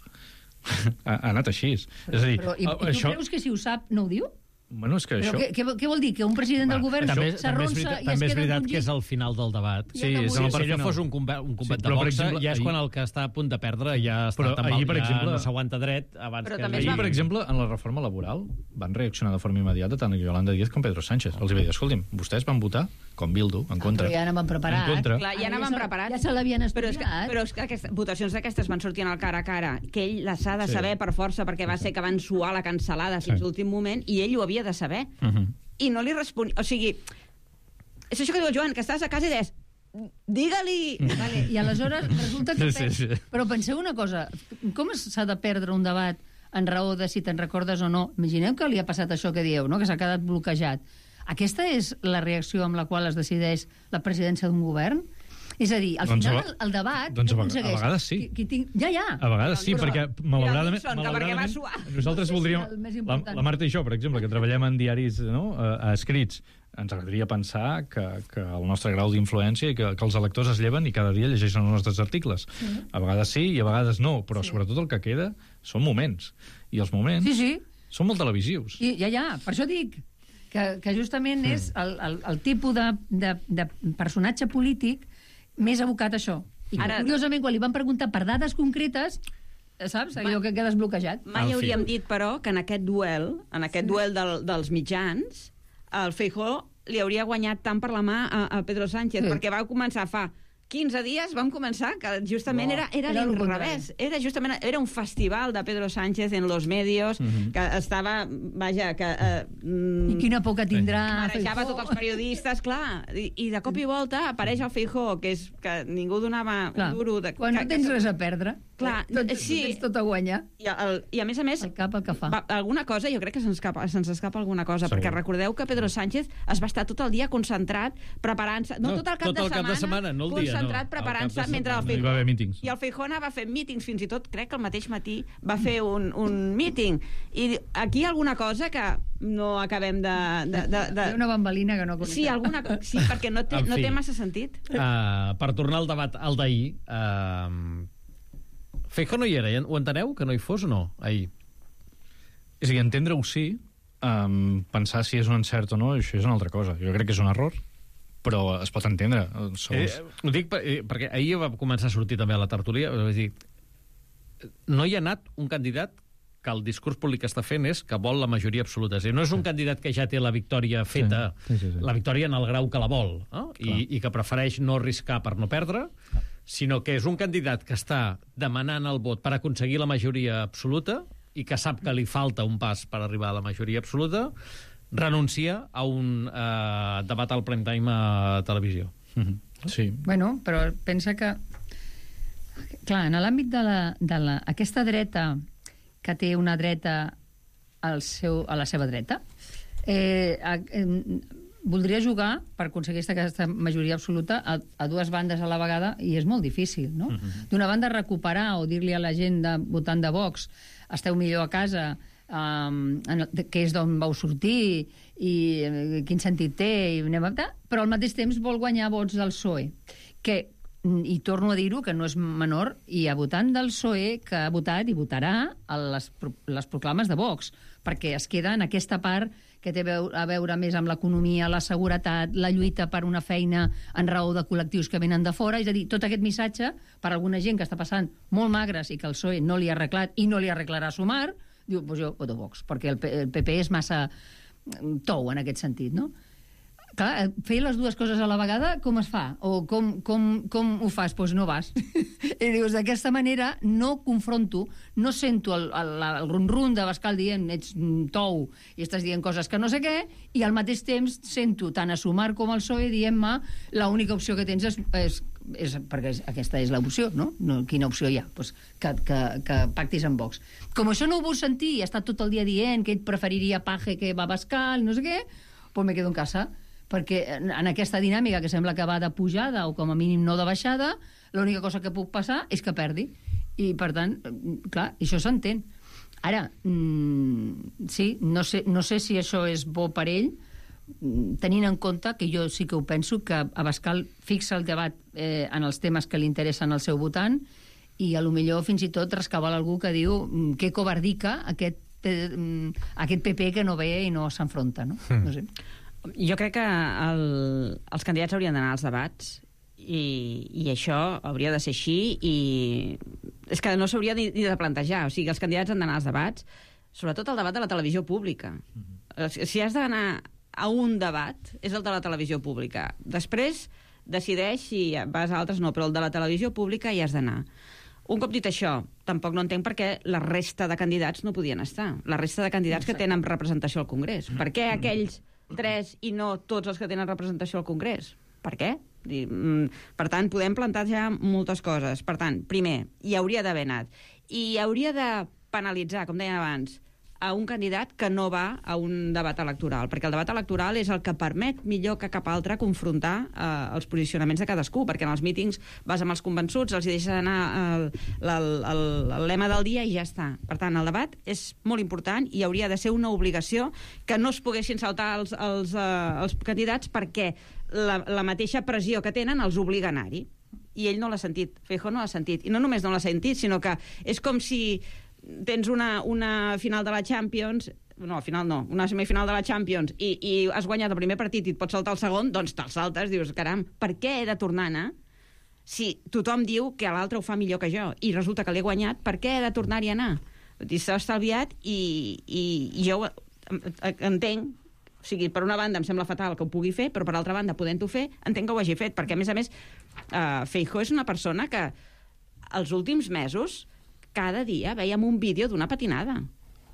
S15: ha, ha anat així.
S14: Però,
S15: és a dir,
S14: però, i, i tu
S15: això...
S14: creus que si ho sap no ho diu?
S15: Bueno, és que
S14: però
S15: això...
S14: què, què, què vol dir? Que un president del govern s'arronsa i es queda
S2: També és veritat
S14: encongit?
S2: que és al final del debat.
S14: Sí,
S2: sí,
S14: és
S2: si
S14: el
S2: allò fos un combat, un combat
S15: Sí,
S2: de
S15: però, per
S2: boxa,
S15: exemple,
S2: ja és
S15: ahir-
S2: quan el que està a punt de perdre ja està
S15: Però
S2: tan
S15: ahir,
S2: mal,
S15: per
S2: ja
S15: exemple-
S2: no s'aguanta dret abans
S16: Però
S2: que...
S16: també es
S15: Ahir,
S16: va-
S15: per exemple, en la reforma laboral van reaccionar de forma immediata tant Yolanda Díaz com Pedro Sánchez. Els va dir, escolti'm, vostès van votar com Bildu, en contra.
S14: Però ja anaven preparats.
S15: En contra.
S16: Clar, ja
S14: Ara
S16: anaven
S14: se-
S16: preparats.
S14: Ja se l'havien
S16: Però és que,
S14: estudiat.
S16: però és que aquestes, votacions d'aquestes van sortir en el cara a cara, que ell les ha de
S15: Sí.
S16: saber per força, perquè va ser que van suar la cancel·lada fins
S15: Sí.
S16: l'últim moment, i ell ho havia de saber.
S15: Uh -huh.
S16: I no li responia... O sigui, és això que diu el Joan, que estàs a casa i deies, digue-li...
S14: Vale, i aleshores resulta que...
S15: Sí, sí, sí.
S14: Però penseu una cosa, com s'ha de perdre un debat en raó de si te'n recordes o no? Imagineu que li ha passat això que dieu, no? Que s'ha quedat bloquejat. Aquesta és la reacció amb la qual es decideix la presidència d'un govern? És a dir, al
S15: Doncs
S14: final
S15: a-
S14: el, el debat...
S15: doncs a
S14: què
S15: vega-
S14: aconsegueix?
S15: a vegades sí.
S14: Qui, qui tinc... Ja, ja.
S15: A vegades sí,
S14: Però-
S15: perquè
S14: Mira,
S15: malauradament,
S16: Wilson, que perquè va
S15: malauradament
S16: suar.
S15: nosaltres
S14: Sí,
S15: voldríem...
S14: el més
S15: La,
S14: important.
S15: la Marta i jo, per exemple, que treballem en diaris no, a, a escrits, ens agradaria pensar que, que el nostre grau d'influència i que, que els electors es lleven i cada dia llegeixen els nostres articles.
S14: Sí.
S15: A vegades sí i a vegades no, però
S14: Sí.
S15: sobretot el que queda són moments. I els moments
S14: Sí, sí.
S15: són molt televisius.
S14: I, ja, ja, per això dic que, que justament és el, el, el tipus de, de, de personatge polític més abocat a això. I que,
S16: Ara-
S14: curiosament, quan li van preguntar per dades concretes, saps? Allò que quedes bloquejat.
S16: Mai
S15: En fi.
S16: hauríem dit, però, que en aquest duel, en aquest duel del, dels mitjans, el Feijóo li hauria guanyat tant per la mà a, a Pedro Sánchez,
S14: Sí.
S16: perquè va començar fa quinze dies, vam començar, que justament
S14: No,
S16: era, era,
S14: era el
S16: l'inrevés. Era justament era un festival de Pedro Sánchez en los medios,
S15: Mhm.
S16: que estava, vaja, que... Eh, mm,
S14: I quina por que tindrà...
S16: marejava
S14: Feijóo.
S16: tots els periodistes, clar, i, i de cop i volta apareix el Feijóo, que és que ningú donava
S14: Clar,
S16: un duro... De,
S14: quan
S16: que,
S14: no tens res a perdre,
S16: Clar,
S14: tot,
S16: sí.
S14: tens tot a guanyar.
S16: I, el, I a més a més,
S14: El cap el que fa.
S16: va, alguna cosa, jo crec que se'ns escapa, se'ns escapa alguna cosa,
S15: Segur.
S16: perquè recordeu que Pedro Sánchez es va estar tot el dia concentrat, preparant-se, no,
S2: No,
S16: tot el cap,
S2: tot
S16: de,
S2: el cap de
S16: setmana,
S2: setmana, no el dia,
S16: concentrat
S2: no.
S16: preparant-se
S2: El cap de
S16: mentre el
S2: setmana.
S15: Hi va haver mítings.
S16: I el Feijóo va fer mítings, fins i tot crec que el mateix matí va fer un, un míting. I aquí hi ha alguna cosa que no acabem de... de, de,
S14: Hi ha
S16: de...
S14: una bambalina que no conec.
S16: Sí, alguna, co- sí, perquè no té,
S2: En
S16: no
S2: fi.
S16: té massa sentit.
S2: Uh, per tornar al debat al d'ahir, uh, Feijóo no hi era, ho enteneu, que no hi fos o no, ahir?
S15: És a dir, entendre-ho sí, um, pensar si és un encert o no, això és una altra cosa. Jo crec que és un error, però es pot entendre. Som...
S2: Eh, ho dic per, eh, perquè ahir va començar a sortir també a la tertúlia, és a dir, no hi ha anat un candidat que el discurs públic que està fent és que vol la majoria absoluta. És a dir, no és un candidat que ja té la victòria feta,
S15: Sí, sí, sí, sí.
S2: la victòria en el grau que la vol, no? I, i que prefereix no arriscar per no perdre, sinó que és un candidat que està demanant el vot per aconseguir la majoria absoluta i que sap que li falta un pas per arribar a la majoria absoluta, renuncia a un eh, debat al prime time a televisió.
S15: Mhm. Sí.
S14: Bueno, però pensa que... Clar, en l'àmbit de, la, de la, aquesta dreta que té una dreta al seu, a la seva dreta, eh, a, eh, voldria jugar per aconseguir aquesta majoria absoluta a, a dues bandes a la vegada i és molt difícil, no?
S15: Mhm.
S14: D'una banda, recuperar o dir-li a la gent de, votant de Vox esteu millor a casa, um, en, el- que és d'on vau sortir i eh, quin sentit té, i anem a... però al mateix temps vol guanyar vots del P S O E, que i torno a dir-ho, que no és menor, hi ha votant del P S O E que ha votat i votarà a les, pro- les proclames de Vox, perquè es queda en aquesta part que té veu- a veure més amb l'economia, la seguretat, la lluita per una feina en raó de col·lectius que venen de fora, és a dir, tot aquest missatge per a alguna gent que està passant molt magres i que el P S O E no li ha arreglat i no li arreglarà Sumar, diu, doncs jo voto Vox, perquè el, P el P P és massa mm, tou en aquest sentit, no? Clar, fer les dues coses a la vegada, com es fa? O com, com, com ho fas? Doncs pues no vas. I dius, d'aquesta manera no confronto, no sento el, el, el run-run de Bascal dient ets tou i estàs dient coses que no sé què, i al mateix temps sento tant a Sumar com al P S O E dient-me l'única opció que tens és, és, és perquè aquesta és l'opció, no? no? Quina opció hi ha? Pues que, que, que pactis amb Vox. Com això no ho vull sentir i ha estat tot el dia dient que ell preferiria Paje que va Bascal, no sé què, doncs me quedo en casa, perquè en aquesta dinàmica que sembla que va de pujada o com a mínim no de baixada, l'única cosa que puc passar és que perdi. I, per tant, clar, això s'entén. Ara, mmm, sí, no sé, no sé si això és bo per ell, tenint en compte que jo sí que ho penso, que Abascal fixa el debat eh, en els temes que li interessen al seu votant i a lo millor fins i tot rescaval algú que diu que covardica aquest, eh, aquest P P que no ve i no s'enfronta, no? Mm. No sé.
S16: Jo crec que el, els candidats haurien d'anar als debats i, i això hauria de ser així i és que no s'hauria ni, ni de plantejar. O sigui, els candidats han d'anar als debats, sobretot el debat de la televisió pública. Mm-hmm. Si has d'anar a un debat, és el de la televisió pública. Després decideix si vas a altres no, però el de la televisió pública hi has d'anar. Un cop dit això, tampoc no entenc per què la resta de candidats no podien estar. La resta de candidats que tenen representació al Congrés. Per què aquells tres i no tots els que tenen representació al Congrés? Per què? Per tant, podem plantejar moltes coses. Per tant, primer, hi hauria d'haver anat. I hi hauria de penalitzar, com deien abans, a un candidat que no va a un debat electoral, perquè el debat electoral és el que permet millor que cap altre confrontar eh, els posicionaments de cadascú, perquè en els mítings vas amb els convençuts, els hi deixes anar el, el, el, el lema del dia i ja està. Per tant, el debat és molt important i hauria de ser una obligació que no es poguessin saltar els, els, eh, els candidats perquè la, la mateixa pressió que tenen els obliga a anar-hi. I ell no l'ha sentit, Feijóo no l'ha sentit. I no només no l'ha sentit, sinó que és com si tens una, una final de la Champions, no, final no, una semifinal de la Champions i, i has guanyat el primer partit i et pots saltar el segon, doncs te'l saltes, dius, caram, per què he de tornar a anar? Si tothom diu que l'altre ho fa millor que jo i resulta que l'he guanyat, per què he de tornar-hi a anar? S'ha estalviat i, i, i jo entenc, o sigui, per una banda em sembla fatal que ho pugui fer, però per altra banda, podent-ho fer, entenc que ho hagi fet, perquè a més a més uh, Feijóo és una persona que els últims mesos cada dia veiem un vídeo d'una patinada.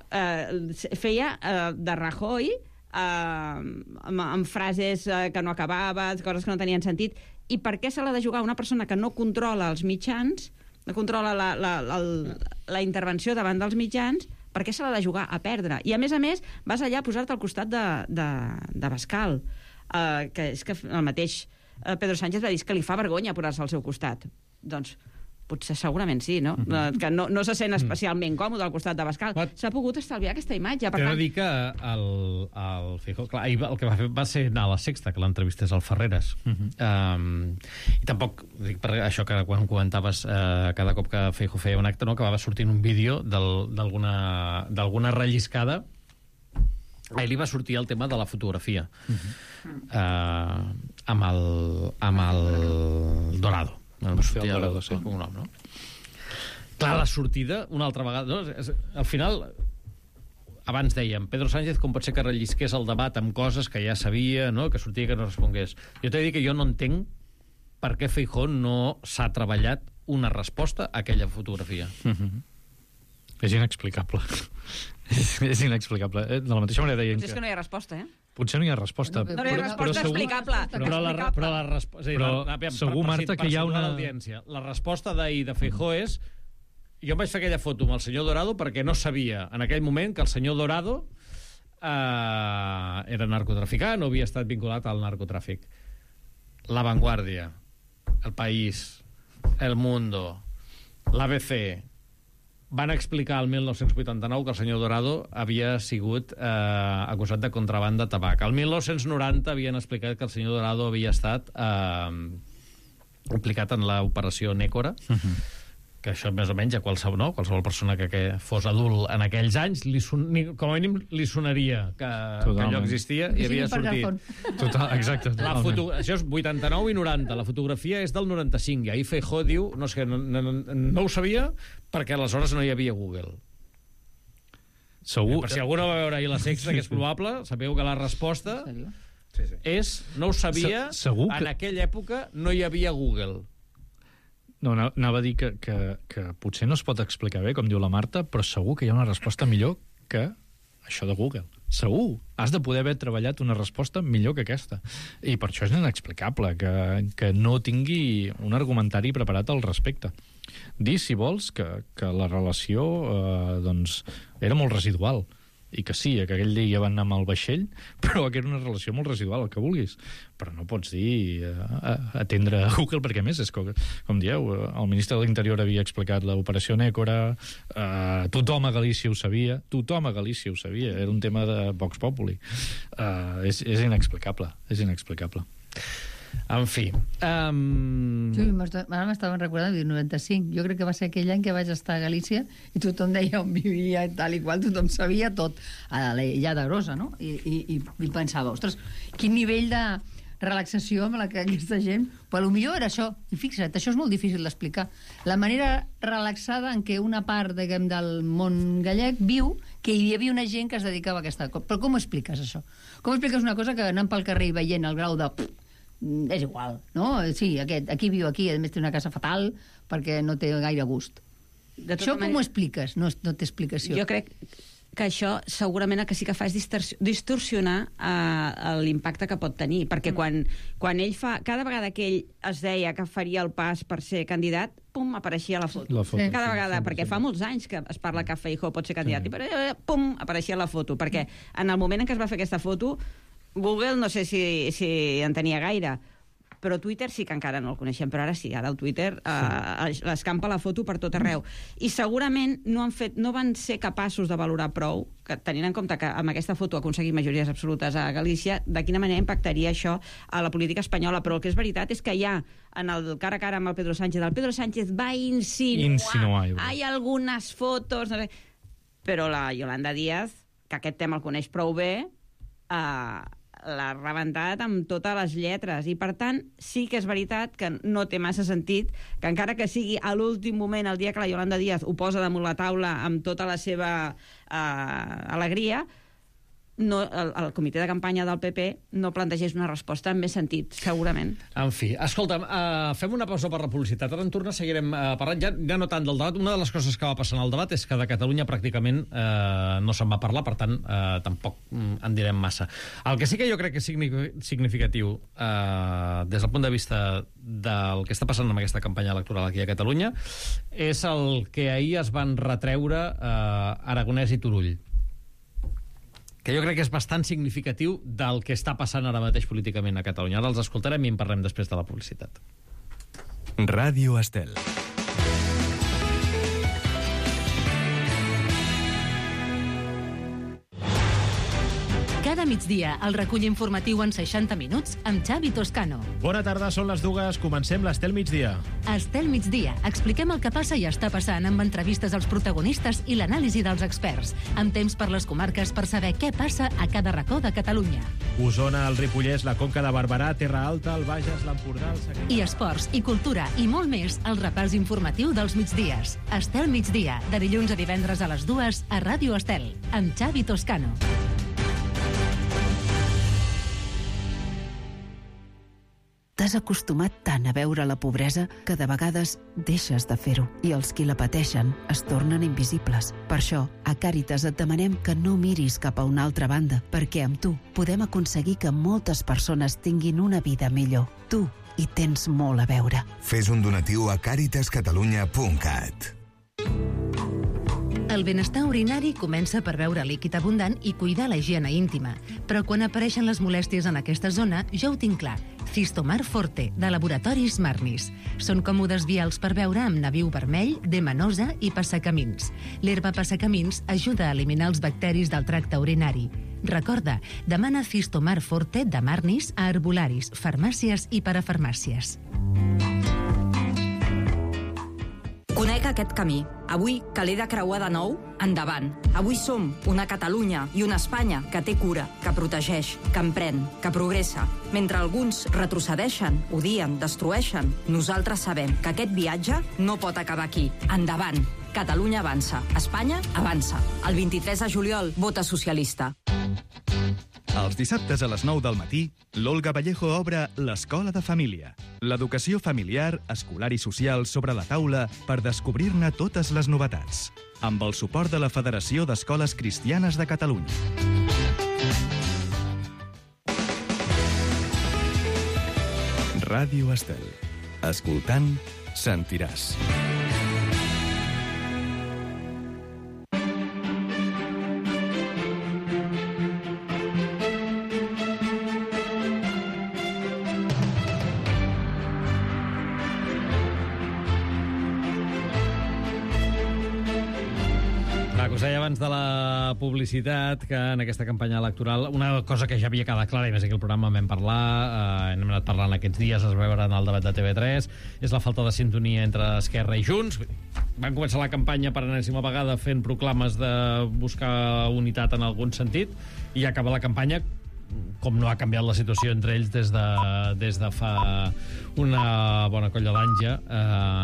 S16: Uh, feia uh, de Rajoy uh, amb, amb frases uh, que no acabava, coses que no tenien sentit. I per què se l'ha de jugar una persona que no controla els mitjans, no controla la, la, la, la intervenció davant dels mitjans, per què se l'ha de jugar a perdre? I a més a més vas allà a posar-te al costat de, de, de Bascal, uh, que és que el mateix uh, Pedro Sánchez va dir que li fa vergonya posar-se al seu costat. Doncs potser segurament sí, no? Mm-hmm. Que no, no se sent especialment còmode al costat de Bascal. S'ha pogut estalviar aquesta imatge. Per
S2: T'he
S16: tant...
S2: de dir que el, el Feijóo, clar, el que va fer va ser anar a la Sexta, que l'entrevistés al Ferreres. Mm-hmm. um, I tampoc, dic, per això que quan comentaves uh, cada cop que Feijóo feia un acte, no, que va sortint un vídeo d'alguna relliscada, a ell li va sortir el tema de la fotografia. Mm-hmm. uh, amb el, amb el Dorado. No, no sortia el Dorado, sí. Un nom, no? Clar, la sortida, una altra vegada... No? És, al final, abans dèiem, Pedro Sánchez com pot ser que rellisqués el debat amb coses que ja sabia, no? Que sortia que no respongués. Jo t'he de dir que jo no entenc per què Feijóo no s'ha treballat una resposta a aquella fotografia.
S15: Mm-hmm. És inexplicable. És inexplicable. De la mateixa manera deien
S16: que... És que no hi ha resposta, eh?
S15: Potser no hi ha resposta.
S16: No, no hi ha resposta
S15: però,
S16: explicable.
S2: Però, però, la, però, la resp... sí,
S15: però
S2: la, la,
S15: segur,
S2: per,
S15: Marta,
S2: per,
S15: que hi ha una...
S2: La resposta d'ahir de Feijóo és jo em vaig fer aquella foto amb el senyor Dorado perquè no sabia en aquell moment que el senyor Dorado eh, era narcotraficant o havia estat vinculat al narcotràfic. La Vanguardia, El País, El Mundo, l'A B C van explicar el mil nou-cents vuitanta-nou que el senyor Dorado havia sigut eh, acusat de contraban de tabac. El mil nou-cents noranta havien explicat que el senyor Dorado havia estat eh, implicat en l'operació Nécora, uh-huh. que això més o menys a qualsevol, no? Qualsevol persona que, que fos adult en aquells anys, li son, ni, com a mínim li sonaria que, que allò existia i havia sortit.
S15: Total, exacte.
S2: La foto, això és vuitanta-nou i noranta, la fotografia és del noranta-cinc, i ahir Feijóo diu, no sé, no, no, no ho sabia perquè aleshores no hi havia Google.
S15: Segur...
S2: Per si algú no va veure ahir la Sexta, que és probable, sabeu que la resposta Sí, sí. És, no ho sabia,
S15: Se, segur que...
S2: en aquella època no hi havia Google.
S15: No, anava a dir que, que, que potser no es pot explicar bé, com diu la Marta, però segur que hi ha una resposta millor que això de Google. Segur. Has de poder haver treballat una resposta millor que aquesta. I per això és inexplicable que, que no tingui un argumentari preparat al respecte. Dir, si vols, que, que la relació eh, doncs, era molt residual i que sí, que aquell dia van anar amb el vaixell, però que era una relació molt residual, el que vulguis. Però no pots dir eh, atendre a Google, perquè a més, és com, com dieu, el ministre de l'Interior havia explicat l'operació Nécora, eh, tothom a Galícia ho sabia, tothom a Galícia ho sabia, era un tema de Vox Populi. Eh, és, és inexplicable, és inexplicable.
S2: En fi... Um...
S14: Sí, ara m'estaven recordant el noranta-cinc. Jo crec que va ser aquell any que vaig estar a Galícia i tothom deia on vivia i tal i qual, tothom sabia tot a l'illa de Grosa, no? I, i, i pensava, ostres, quin nivell de relaxació amb la que aquesta gent... Però potser era això. I fixa't, això és molt difícil d'explicar. La manera relaxada en què una part, diguem, del món gallec viu que hi havia una gent que es dedicava a aquesta cosa. Però com ho expliques, això? Com expliques una cosa que anant pel carrer i veient el grau de... és igual, no? Sí, aquest, aquí viu aquí, a més té una casa fatal perquè no té gaire gust. Això com ho expliques? No, no té explicació.
S16: Jo crec que això segurament el que sí que fa és distorsionar uh, l'impacte que pot tenir, perquè mm. quan, quan ell fa... Cada vegada que ell es deia que faria el pas per ser candidat, pum, apareixia la foto. La foto sí. Cada vegada, sí, perquè sí. Fa molts anys que es parla que Feijóo pot ser candidat, sí. I però, pum, apareixia la foto, perquè en el moment en què es va fer aquesta foto Google no sé si, si en tenia gaire, però Twitter sí que encara no el coneixem, però ara sí, ara el Twitter eh, l'escampa la foto per tot arreu. I segurament no, han fet, no van ser capaços de valorar prou, que tenint en compte que amb aquesta foto ha aconseguit majories absolutes a Galícia, de quina manera impactaria això a la política espanyola. Però el que és veritat és que ja en el cara a cara amb el Pedro Sánchez, el Pedro Sánchez va insinuar, insinuar hi ha algunes fotos, no sé, però la Yolanda Díaz, que aquest tema el coneix prou bé, eh, l'ha rebentat amb totes les lletres i per tant sí que és veritat que no té massa sentit que encara que sigui a l'últim moment, el dia que la Yolanda Díaz ho posa damunt la taula amb tota la seva eh, alegria, no, el, el comitè de campanya del P P no plantegés una resposta amb més sentit, segurament.
S2: En fi, escolta'm, uh, fem una pausa per la publicitat. Ara en tornar seguirem uh, parlant, ja, ja no tant del debat. Una de les coses que va passar en el debat és que de Catalunya pràcticament uh, no se'n va parlar, per tant, uh, tampoc um, en direm massa. El que sí que jo crec que és significatiu uh, des del punt de vista del que està passant amb aquesta campanya electoral aquí a Catalunya és el que ahir es van retreure uh, Aragonès i Turull, que jo crec que és bastant significatiu del que està passant ara mateix políticament a Catalunya. Ara els escoltarem i en parlem després de la publicitat.
S12: Ràdio Estel.
S4: Cada migdia, el recull informatiu en seixanta minuts amb Xavi Toscano.
S6: Bona tarda, són les dues. Comencem l'Estel Migdia.
S4: Estel Migdia. Expliquem el que passa i està passant amb entrevistes als protagonistes i l'anàlisi dels experts. Amb temps per les comarques per saber què passa a cada racó de Catalunya.
S6: Osona, el Ripollès, la Conca de Barberà, Terra Alta, el Bages, l'Empordà, el Segrià...
S4: I esports, i cultura, i molt més, el repàs informatiu dels migdies. Estel Migdia, de dilluns a divendres a les dues a Ràdio Estel, amb Xavi Toscano.
S17: T'has acostumat tant a veure la pobresa que de vegades deixes de fer-ho i els qui la pateixen es tornen invisibles. Per això, a Càritas et demanem que no miris cap a una altra banda, perquè amb tu podem aconseguir que moltes persones tinguin una vida millor. Tu hi tens molt a veure.
S18: Fes un donatiu a càritas catalunya punt cat.
S4: El benestar urinari comença per beure líquid abundant i cuidar la higiene íntima. Però quan apareixen les molèsties en aquesta zona, ja ho tinc clar. Cistomar Forte, de Laboratoris Marnis. Són còmodes vials per beure amb nabiu vermell, demanosa i passacamins. L'herba passacamins ajuda a eliminar els bacteris del tracte urinari. Recorda, demana Cistomar Forte de Marnis a herbolaris, farmàcies i parafarmàcies.
S19: Conec aquest camí. Avui, que l'he de creuar de nou, endavant. Avui som una Catalunya i una Espanya que té cura, que protegeix, que emprèn, que progressa. Mentre alguns retrocedeixen, odien, destrueixen, nosaltres sabem que aquest viatge no pot acabar aquí. Endavant. Catalunya avança. Espanya avança. El vint-i-tres de juliol, vota socialista.
S13: Els dissabtes a les nou del matí, l'Olga Vallejo obre l'Escola de Família. L'educació familiar, escolar i social sobre la taula per descobrir-ne totes les novetats. Amb el suport de la Federació d'Escoles Cristianes de Catalunya. Ràdio Estel. Escoltant, sentiràs.
S2: Us deia abans de la publicitat que en aquesta campanya electoral una cosa que ja havia quedat clara, i més aquí al programa vam parlar, eh, hem anat parlant aquests dies, es veure en el debat de T V tres, és la falta de sintonia entre Esquerra i Junts. Van començar la campanya per enèsima vegada fent proclames de buscar unitat en algun sentit, i acaba la campanya com no ha canviat la situació entre ells des de, des de fa una bona colla d'anys ja, eh,